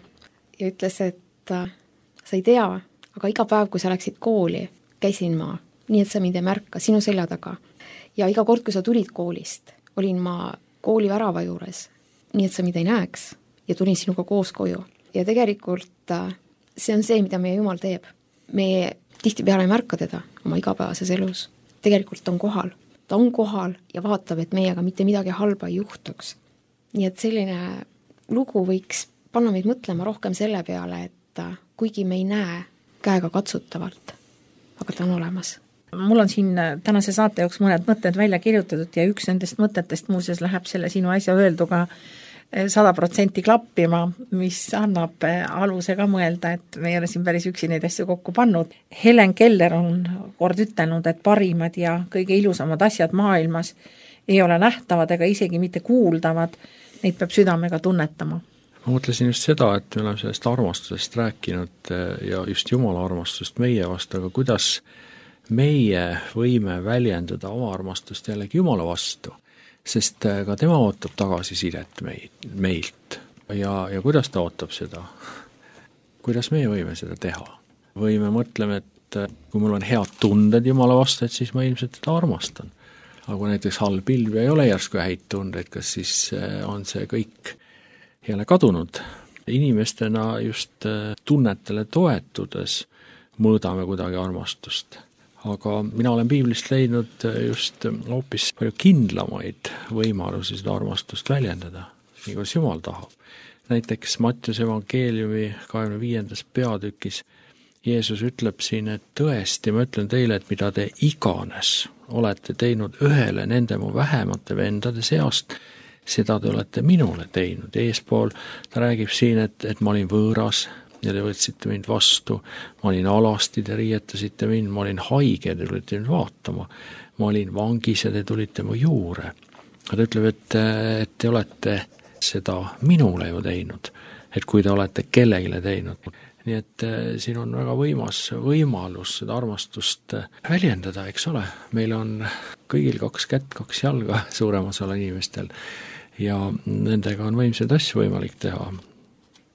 D: ja ütles, et sa ei tea, aga iga päev, kui sa läksid kooli, käisin ma, nii et sa mind ei märka, sinu selja taga. Ja iga kord, kui sa tulid koolist, olin ma kooli värava juures, nii et sa mind ei näeks ja tulin sinuga koos koju. Ja tegelikult see on see, mida meie Jumal teeb. Me tihtipeale ei märka teda oma igapäevases elus. Tegelikult ta on kohal. Ta on kohal ja vaatab, et meiega mitte midagi halba ei juhtuks. Nii et selline lugu võiks panna meid mõtlema rohkem selle peale, et kuigi me ei näe käega katsutavalt, aga ta on olemas.
B: Mul on siin tänase saate jooksul mõned mõtted välja kirjutatud ja üks nendest mõtetest muuseas läheb selle sinu äsja öelduga 100% klappima, mis annab aluse ka mõelda, et me ei ole siin päris üksi neid asju kokku pannud. Helen Keller on kord ütelnud, et parimad ja kõige ilusamad asjad maailmas ei ole nähtavad ega isegi mitte kuuldavad, neid peab südamega tunnetama.
C: Ma mõtlesin just seda, et me oleme sellest armastusest rääkinud ja just Jumala armastust meie vastu, aga kuidas meie võime väljendada oma armastust jällegi Jumala vastu, sest ka tema ootab tagasisidet meilt ja kuidas ta ootab seda, kuidas meie võime seda teha. Või me mõtleme, et kui mul on head tunded Jumala vastu, et siis ma ilmselt teda armastan. Aga kui näiteks halb ilm ja ei ole järsku häid tundeid, kas siis on see kõik jälle kadunud. Inimestena just tunnetele toetudes mõõdame kuidagi armastust. Aga mina olen piiblist leidnud just hoopis palju kindlamaid võimalusi seda armastust väljendada, nii kuidas Jumal tahab. Näiteks Mattiuse evangeeliumi 25. peatükis Jeesus ütleb siin, et tõesti, ma ütlen teile, et mida te iganes olete teinud ühele nende mu vähemate vendade seast, seda te olete minule teinud. Eespool ta räägib siin, et ma olin võõras ja te võtsite mind vastu, ma olin alasti, te riietasite mind, ma olin haige, te tulite mind vaatama, ma olin vangis ja te tulite mu juure. Ta ütleb, et te olete seda minule ju teinud, et kui te olete kellegile teinud. Nii et siin on väga võimalus seda armastust väljendada, eks ole. Meil on kõigil 2 kätt, 2 jalga suurem osal inimestel ja nendega on võimsaid asju võimalik teha.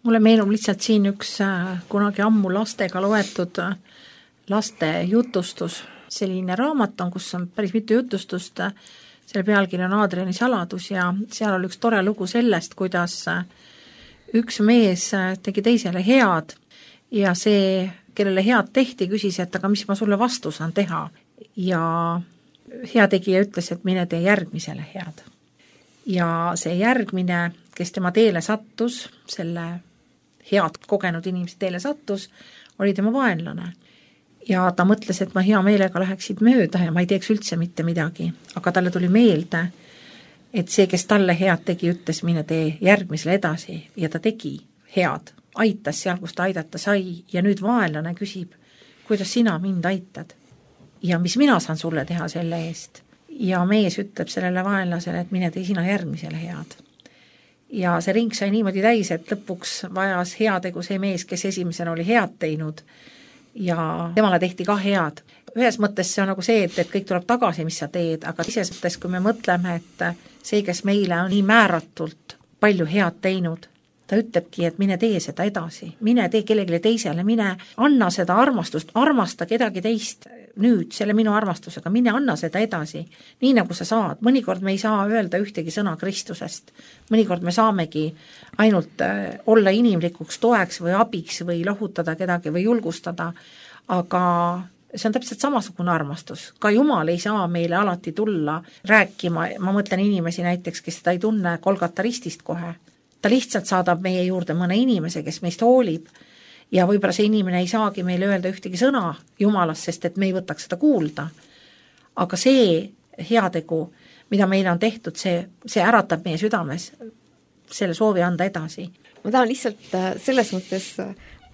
B: Mulle meenub lihtsalt siin üks kunagi ammu lastega loetud laste jutustus. Selline raamat on, kus on päris mitu jutustust. Selle pealkiri on Aadriani saladus ja seal oli üks tore lugu sellest, kuidas üks mees tegi teisele head ja see, kellele head tehti, küsis, et aga mis ma sulle vastu saan teha. Ja heategija ütles, et mine tee järgmisele head. Ja see järgmine, kes tema teele sattus, selle head kogenud inimese teele sattus, oli tema vaenlane. Ja ta mõtles, et ma hea meelega läheksid mööda ja ma ei teeks üldse mitte midagi. Aga talle tuli meelde, et see, kes talle head tegi, ütles, mine tee järgmisele edasi ja ta tegi head. Aitas seal, kus ta aidata sai ja nüüd vaenlane küsib, kuidas sina mind aitad ja mis mina saan sulle teha selle eest. Ja mees ütleb sellele vaenlasele, et mine tee sina järgmisele head. Ja see ring sai niimoodi täis, et lõpuks vajas heategu see mees, kes esimesena oli head teinud ja temale tehti ka head. Ühes mõttes see on nagu see, et kõik tuleb tagasi, mis sa teed, aga teises mõttes, kui me mõtleme, et see, kes meile on nii määratult palju head teinud, ta ütlebki, et mine tee seda edasi, mine tee kellelegi teisele, mine anna seda armastust, armasta kedagi teist nüüd selle minu armastusega, mine anna seda edasi, nii nagu sa saad. Mõnikord me ei saa öelda ühtegi sõna Kristusest, mõnikord me saamegi ainult olla inimlikuks toeks või abiks või lohutada kedagi või julgustada, aga see on täpselt samasugune armastus. Ka Jumal ei saa meile alati tulla rääkima, ma mõtlen inimesi näiteks, kes seda ei tunne Golgata ristist kohe. Ta lihtsalt saadab meie juurde mõne inimese, kes meist hoolib ja võib-olla see inimene ei saagi meile öelda ühtegi sõna Jumalast, sest et me ei võtaks seda kuulda. Aga see heategu, mida meile on tehtud, see äratab meie südames selle soovi anda edasi.
D: Ma tahan lihtsalt selles mõttes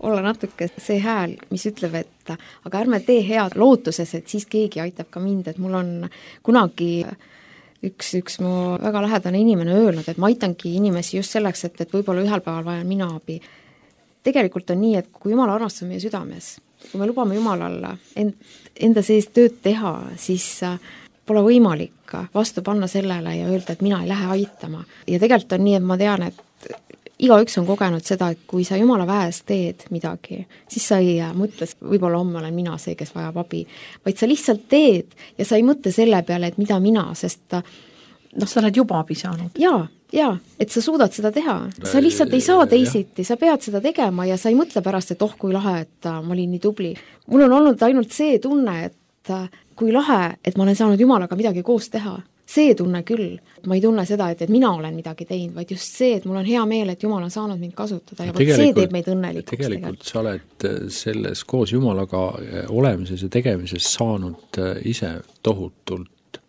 D: olla natuke see hääl, mis ütleb, et aga ärme tee head lootuses, et siis keegi aitab ka mind, et mul on kunagi üks mu väga lähedane inimene öelnud, et ma aitangi inimesi just selleks, et võib-olla ühel päeval vajan mina abi. Tegelikult on nii, et kui Jumal armastab meie südames, kui me lubame Jumalal enda sees tööd teha, siis pole võimalik vastu panna sellele ja öelda, et mina ei lähe aitama. Ja tegelikult on nii, et ma tean, et igaüks on kogenud seda, et kui sa Jumala väes teed midagi, siis sa ei mõtle, võib-olla homme olen mina see, kes vajab abi, vaid sa lihtsalt teed ja sa ei mõtle selle peale, et mida mina, sest
B: sa oled juba abi saanud.
D: Jaa, et sa suudad seda teha. Sa lihtsalt ei saa teisiti, sa pead seda tegema ja sa ei mõtle pärast, et kui lahe, et ma olin nii tubli. Mul on olnud ainult see tunne, et kui lahe, et ma olen saanud Jumalaga midagi koos teha. See tunne küll. Ma ei tunne seda, et mina olen midagi teinud, vaid just see, et mul on hea meel, et Jumal on saanud mind kasutada ja see teeb meid õnnelikuks.
C: Tegelikult sa oled selles koos Jumalaga olemises ja tegemises saanud ise tohutult.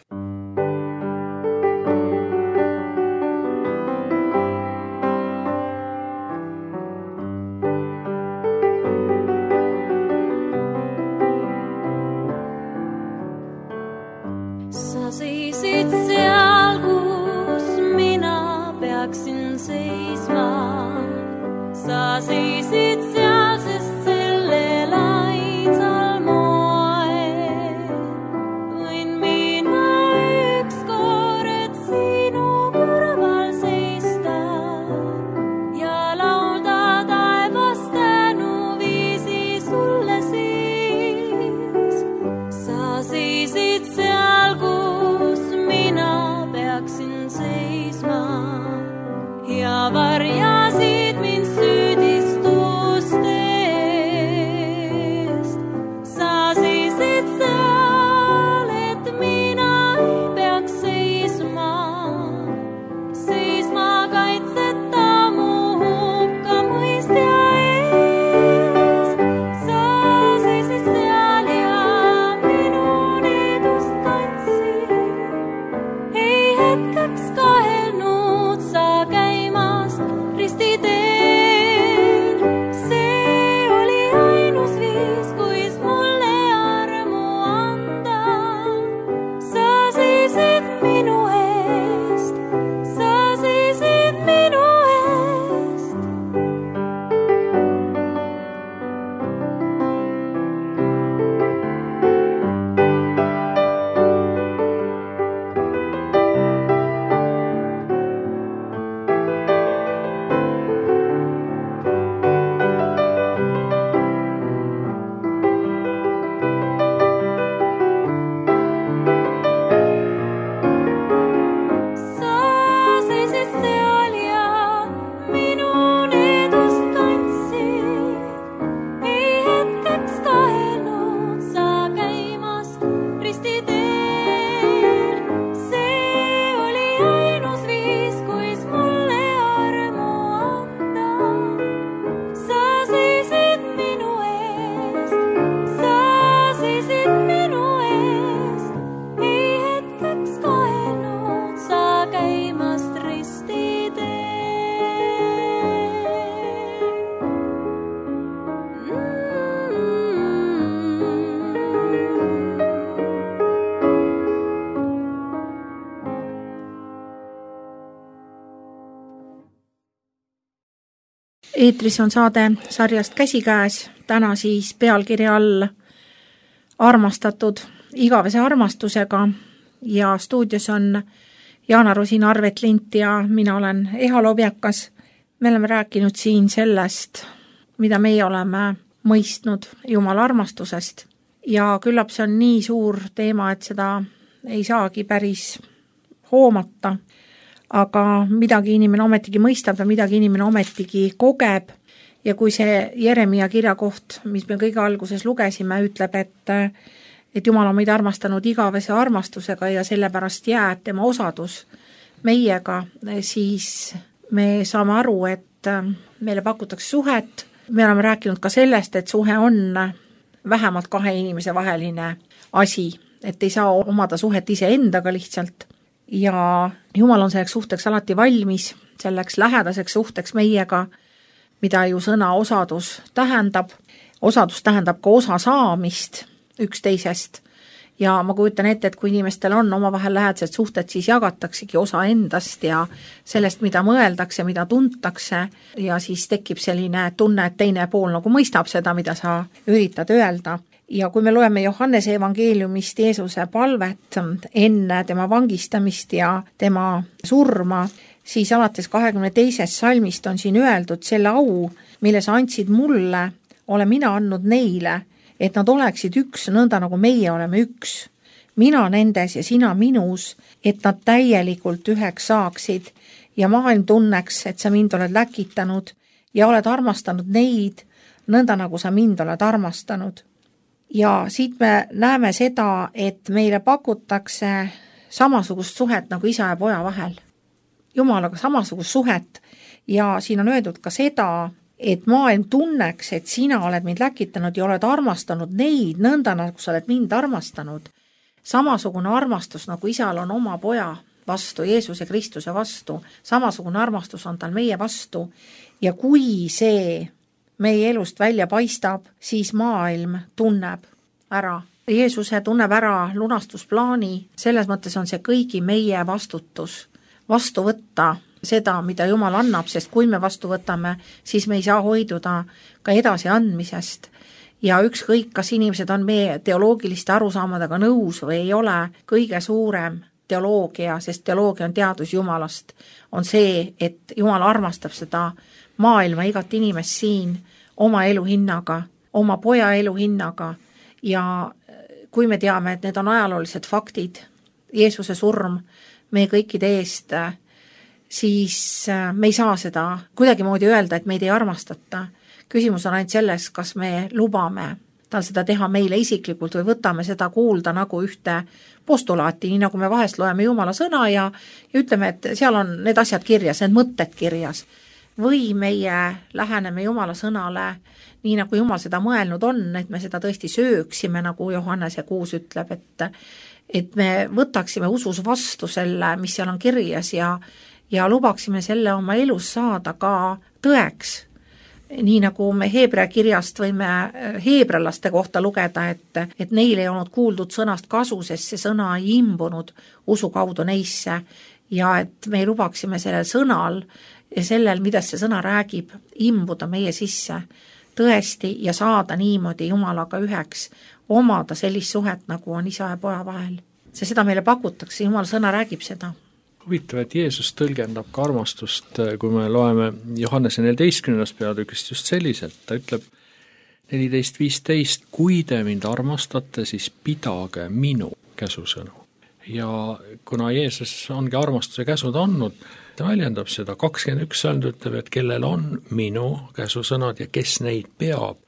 B: Eetris on saade sarjast Käsikäes, täna siis pealkirja all Armastatud igavese armastusega ja stuudios on Jaana Rosin, Arvet Lint ja mina olen Eha Lobjakas. Me oleme rääkinud siin sellest, mida meie oleme mõistnud Jumala armastusest ja küllap see on nii suur teema, et seda ei saagi päris hoomata. Aga midagi inimene ometigi mõistab ja midagi inimene ometigi kogeb ja kui see Jeremia kirja koht, mis me kõige alguses lugesime, ütleb, et Jumal on meid armastanud igavese armastusega ja sellepärast jääb tema osadus meiega, siis me saame aru, et meile pakutakse suhet. Me oleme rääkinud ka sellest, et suhe on vähemalt kahe inimese vaheline asi, et ei saa omada suhet iseendaga lihtsalt. Ja Jumal on selleks suhteks alati valmis, selleks lähedaseks suhteks meiega, mida ju sõna osadus tähendab. Osadus tähendab ka osa saamist üksteisest. Ja ma kujutan ette, et kui inimestel on omavahel lähedased suhted, siis jagataksegi osa endast ja sellest, mida mõeldakse, mida tuntakse ja siis tekib selline tunne, et teine pool nagu mõistab seda, mida sa üritad öelda. Ja kui me loeme Johannese evangeeliumist Jeesuse palvet enne tema vangistamist ja tema surma, siis alates 22. salmist on siin öeldud selle au, mille sa andsid mulle, olen mina andnud neile, et nad oleksid üks, nõnda nagu meie oleme üks. Mina nendes ja sina minus, et nad täielikult üheks saaksid ja maailm tunneks, et sa mind oled läkitanud ja oled armastanud neid, nõnda nagu sa mind oled armastanud. Ja siit me näeme seda, et meile pakutakse samasugust suhet nagu isa ja poja vahel. Jumalaga samasugust suhet ja siin on öeldud ka seda, et maailm tunneks, et sina oled mind läkitanud ja oled armastanud neid, nõnda nagu sa oled mind armastanud. Samasugune armastus nagu isal on oma poja vastu, Jeesuse Kristuse vastu, samasugune armastus on tal meie vastu ja kui see meie elust välja paistab, siis maailm tunneb ära. Jeesuse tunneb ära lunastusplaani, selles mõttes on see kõigi meie vastutus vastu võtta seda, mida Jumal annab, sest kui me vastu võtame, siis me ei saa hoiduda ka edasi andmisest. Ja ükskõik, kas inimesed on meie teoloogiliste arusaamadega nõus või ei ole, kõige suurem teoloogia, sest teoloogia on teadus Jumalast, on see, et Jumal armastab seda maailma igat inimest siin oma elu hinnaga, oma poja elu hinnaga ja kui me teame, et need on ajaloolised faktid, Jeesuse surm meie kõikide eest, siis me ei saa seda kuidagimoodi öelda, et meid ei armastata. Küsimus on ainult selles, kas me lubame tal seda teha meile isiklikult või võtame seda kuulda nagu ühte postulaati, nii nagu me vahest loeme Jumala sõna ja ütleme, et seal on need asjad kirjas, need mõtted kirjas. Või meie läheneme Jumala sõnale nii nagu Jumal seda mõelnud on, et me seda tõesti sööksime, nagu Johannese 6 ütleb, et me võtaksime usus vastu selle, mis seal on kirjas ja lubaksime selle oma elus saada ka tõeks. Nii nagu me Heebrea kirjast võime heebrealaste kohta lugeda, et neil ei olnud kuuldud sõnast kasu, sest see sõna ei imbunud usu kaudu neisse ja et me lubaksime sellel sõnal ja sellel, mida see sõna räägib, imbuda meie sisse tõesti ja saada niimoodi Jumalaga üheks, omada sellist suhet, nagu on isa ja poja vahel. See seda meile pakutakse, Jumala sõna räägib seda.
C: Huvitav, et Jeesus tõlgendab ka armastust, kui me loeme Johannese 14. peatükist just selliselt, ta ütleb 14.15, kui te mind armastate, siis pidage minu käsusõnu. Ja kuna Jeesus ongi armastuse käsud andnud, ta väljendab seda, 21 salm ütleb, et kellel on minu käsusõnad ja kes neid peab,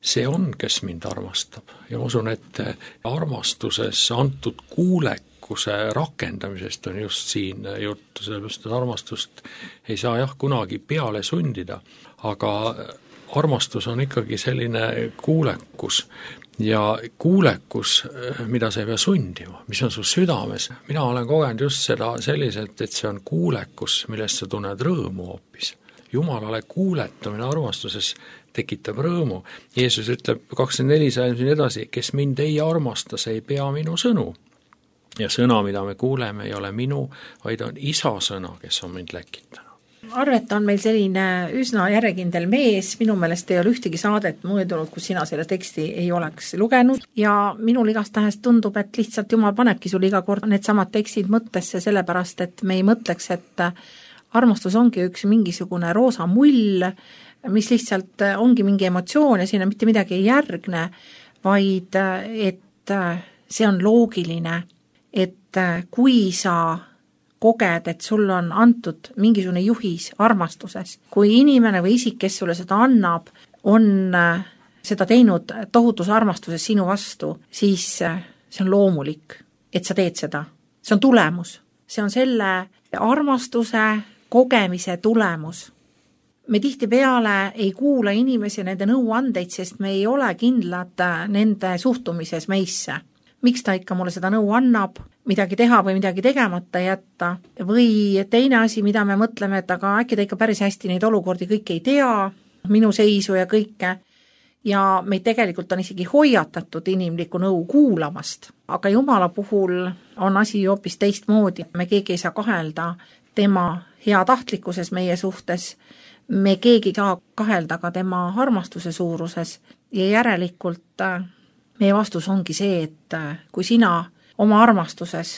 C: see on, kes mind armastab. Ja ma usun, et armastuses antud kuulekuse rakendamisest on just siin juttu, sellepärast, et armastust ei saa kunagi peale sundida, aga armastus on ikkagi selline kuulekus ja kuulekus, mida sa ei pea sundima, mis on su südames. Mina olen kogenud just seda selliselt, et see on kuulekus, millest sa tunned rõõmu hoopis. Jumalale kuuletamine armastuses tekitab rõõmu. Jeesus ütleb 24 sajandil edasi, kes mind ei armasta, see ei pea minu sõnu. Ja sõna, mida me kuuleme, ei ole minu, vaid on isa sõna, kes on mind läkitanud.
B: Arvet on meil selline üsna järjekindel mees, minu meelest ei ole ühtegi saadet möödunud, kus sina selle teksti ei oleks lugenud ja minul igastahes tundub, et lihtsalt Jumal panebki sul iga kord need samad tekstid mõttesse, sellepärast et me ei mõtleks, et armastus ongi üks mingisugune roosa mull, mis lihtsalt ongi mingi emotsioon ja sinna mitte midagi ei järgne, vaid et see on loogiline, et kui sa koged, et sul on antud mingisugune juhis armastuses. Kui inimene või isik, kes sulle seda annab, on seda teinud tohutus armastuses sinu vastu, siis see on loomulik, et sa teed seda. See on tulemus. See on selle armastuse kogemise tulemus. Me tihtipeale ei kuula inimesi nende nõuandeid, sest me ei ole kindlad nende suhtumises meisse. Miks ta ikka mulle seda nõu annab, midagi teha või midagi tegemata jätta, või teine asi, mida me mõtleme, et aga äkki ta ikka päris hästi neid olukordi kõik ei tea, minu seisu ja kõike, ja meid tegelikult on isegi hoiatatud inimlikku nõu kuulamast, aga Jumala puhul on asi hoopis teistmoodi, me keegi ei saa kahelda tema heatahtlikkuses meie suhtes, me keegi ei saa kahelda ka tema armastuse suuruses ja järelikult meie vastus ongi see, et kui sina oma armastuses,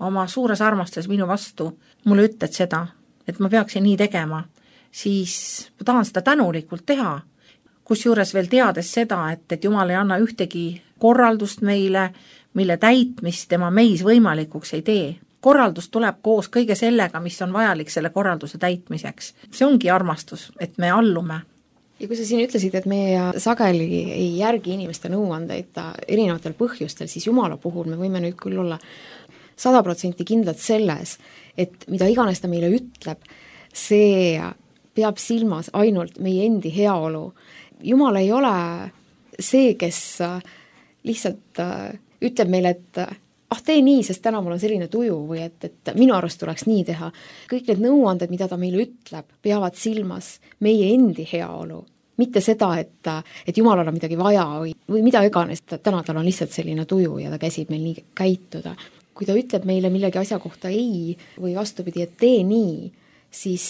B: oma suures armastuses minu vastu mulle ütled seda, et ma peaksin nii tegema, siis ma tahan seda tänulikult teha, kusjuures veel teades seda, et Jumal ei anna ühtegi korraldust meile, mille täitmist tema meis võimalikuks ei tee. Korraldus tuleb koos kõige sellega, mis on vajalik selle korralduse täitmiseks. See ongi armastus, et me allume.
D: Ja kui sa siin ütlesid, et meie sageli ei järgi inimeste nõuandeid erinevatel põhjustel, siis Jumala puhul me võime nüüd küll olla 100% kindlad selles, et mida iganes ta meile ütleb, see peab silmas ainult meie endi heaolu. Jumal ei ole see, kes lihtsalt ütleb meile, et tee nii, sest täna mul on selline tuju või et minu arust tuleks nii teha. Kõik need nõuanded, mida ta meile ütleb, peavad silmas meie endi heaolu. Mitte seda, et Jumalal on midagi vaja või mida iganes, täna tal on lihtsalt selline tuju ja ta käsib meil nii käituda. Kui ta ütleb meile millegi asja kohta ei või vastupidi, et tee nii, siis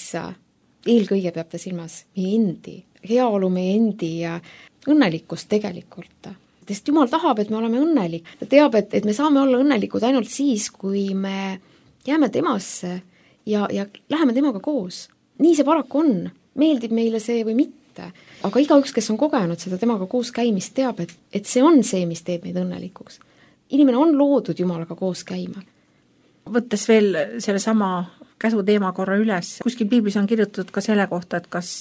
D: eelkõige peab ta silmas meie endi heaolu, meie endi õnnelikkust tegelikult. Sest Jumal tahab, et me oleme õnnelik. Ta teab, et me saame olla õnnelikud ainult siis, kui me jääme temasse ja läheme temaga koos. Nii see paraku on. Meeldib meile see või mitte. Aga igaüks, kes on kogenud seda temaga koos käimist, teab, et see on see, mis teeb meid õnnelikuks. Inimene on loodud Jumalaga koos käima.
B: Võttes veel selle sama käsu teema korra üles, kuskil piiblis on kirjutatud ka selle kohta, et kas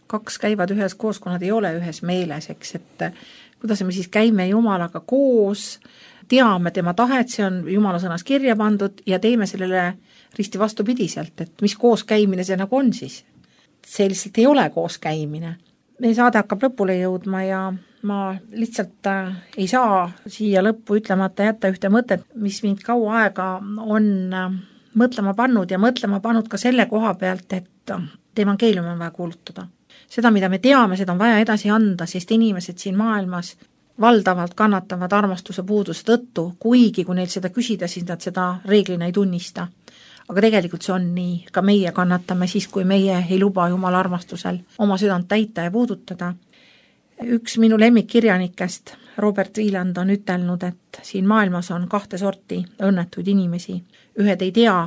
B: kaks käivad ühes koos, kui nad ei ole ühes meeles, eks, et kuidas me siis käime Jumalaga koos, teame tema tahet, see on Jumala sõnas kirja pandud ja teeme sellele risti vastupidiselt, et mis koos käimine see nagu on siis. See lihtsalt ei ole koos käimine. Meie saade hakkab lõpule jõudma ja ma lihtsalt ei saa siia lõppu ütlemata jätta ühte mõtet, mis mind kaua aega on mõtlema pannud ja mõtlema pannud ka selle koha pealt, et evangeeliumi on vaja kuulutada. Seda, mida me teame, seda on vaja edasi anda, sest inimesed siin maailmas valdavalt kannatavad armastuse puuduse tõttu, kuigi kui neil seda küsida, siis nad seda reeglina ei tunnista. Aga tegelikult see on nii, ka meie kannatame siis, kui meie ei luba Jumala armastusel oma südant täita ja puudutada. Üks minu lemmikkirjanikest, Robert Wieland, on ütelnud, et siin maailmas on 2 sorti õnnetuid inimesi. Ühed ei tea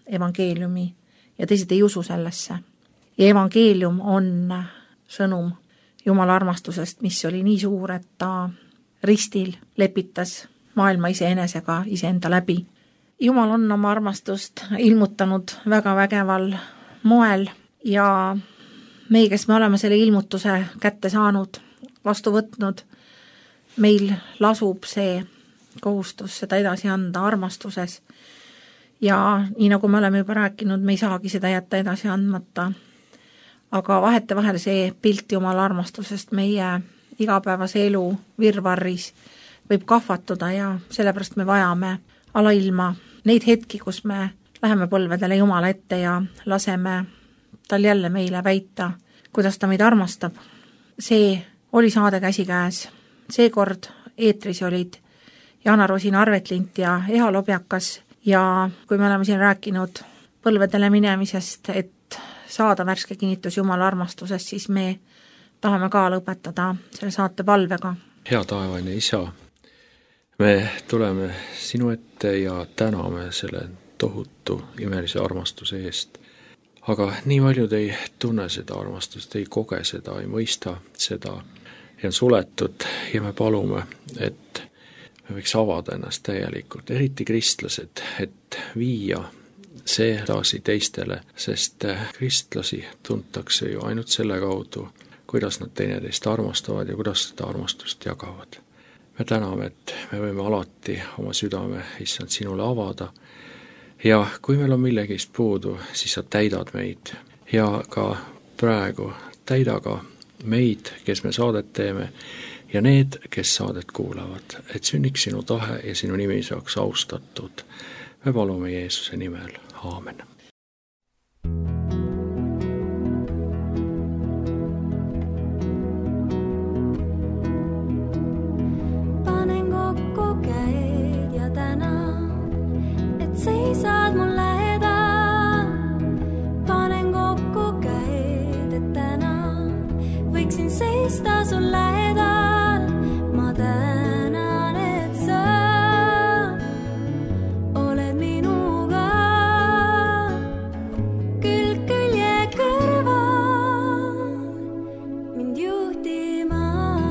B: evangeeliumi ja teised ei usu sellesse. Ja evangeelium on sõnum Jumala armastusest, mis oli nii suur, et ta ristil lepitas maailma iseenesega iseenda läbi. Jumal on oma armastust ilmutanud väga vägeval moel ja meie, kes me oleme selle ilmutuse kätte saanud, vastu võtnud, meil lasub see kohustus seda edasi anda armastuses. Ja nii nagu me oleme juba rääkinud, me ei saagi seda jätta edasi andmata. Aga vahetevahel see pilt Jumala armastusest meie igapäevase elu virvarris võib kahvatuda ja sellepärast me vajame alailma neid hetki, kus me läheme põlvedele Jumala ette ja laseme tal jälle meile väita, kuidas ta meid armastab. see oli saade Käsikäes. Seekord eetris olid Jana Rosin Arvetlint ja Eha Lobjakas ja kui me oleme siin rääkinud põlvedele minemisest, et saada värske kinnitus Jumala armastusest, siis me tahame ka lõpetada selle saate palvega.
C: Hea taevane Isa, me tuleme sinu ette ja täname selle tohutu imelise armastuse eest. Aga nii paljud ei tunne seda armastust, ei koge seda, ei mõista seda ja on suletud ja me palume, et me võiks avada ennast täielikult, eriti kristlased, et viia see edasi teistele, sest kristlasi tuntakse ju ainult selle kaudu, kuidas nad teineteist armastavad ja kuidas seda armastust jagavad. Me täname, et me võime alati oma südame, issand, sinule avada ja kui meil on millegist puudu, siis sa täidad meid ja ka praegu täida ka meid, kes me saadet teeme ja need, kes saadet kuulavad, et sünniks sinu tahe ja sinu nimi saaks austatud. Me palume Jeesuse nimel. Aamen.
E: Panen kokku käed ja tänan, et seisad mul lähedal. Panen kokku käed, et tänan, võiksin seista sul lähedal. Ma tänan, et sa oled minuga külg külje kõrval mind juhtimas.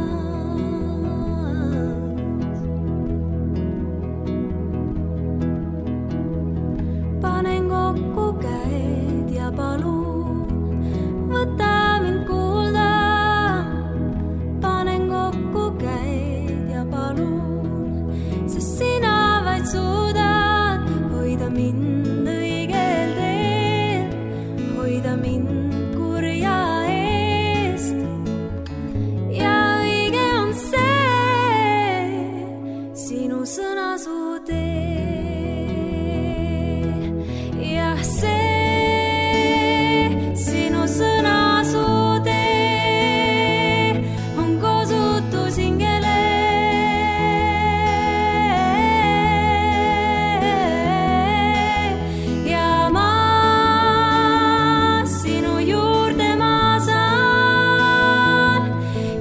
E: Panen kokku käed ja palun, võta mind kuulda. Panen kokku käed ja palun, sest sina vaid suudad hoida mind õigel teel, hoida mind kurja eest. Ja õige on see, sinu sõna su tee. Jah, see, sinu sõna su tee on kosutus hingele. Ja ma sinu juurde ma saan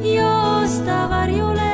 E: joosta varjule.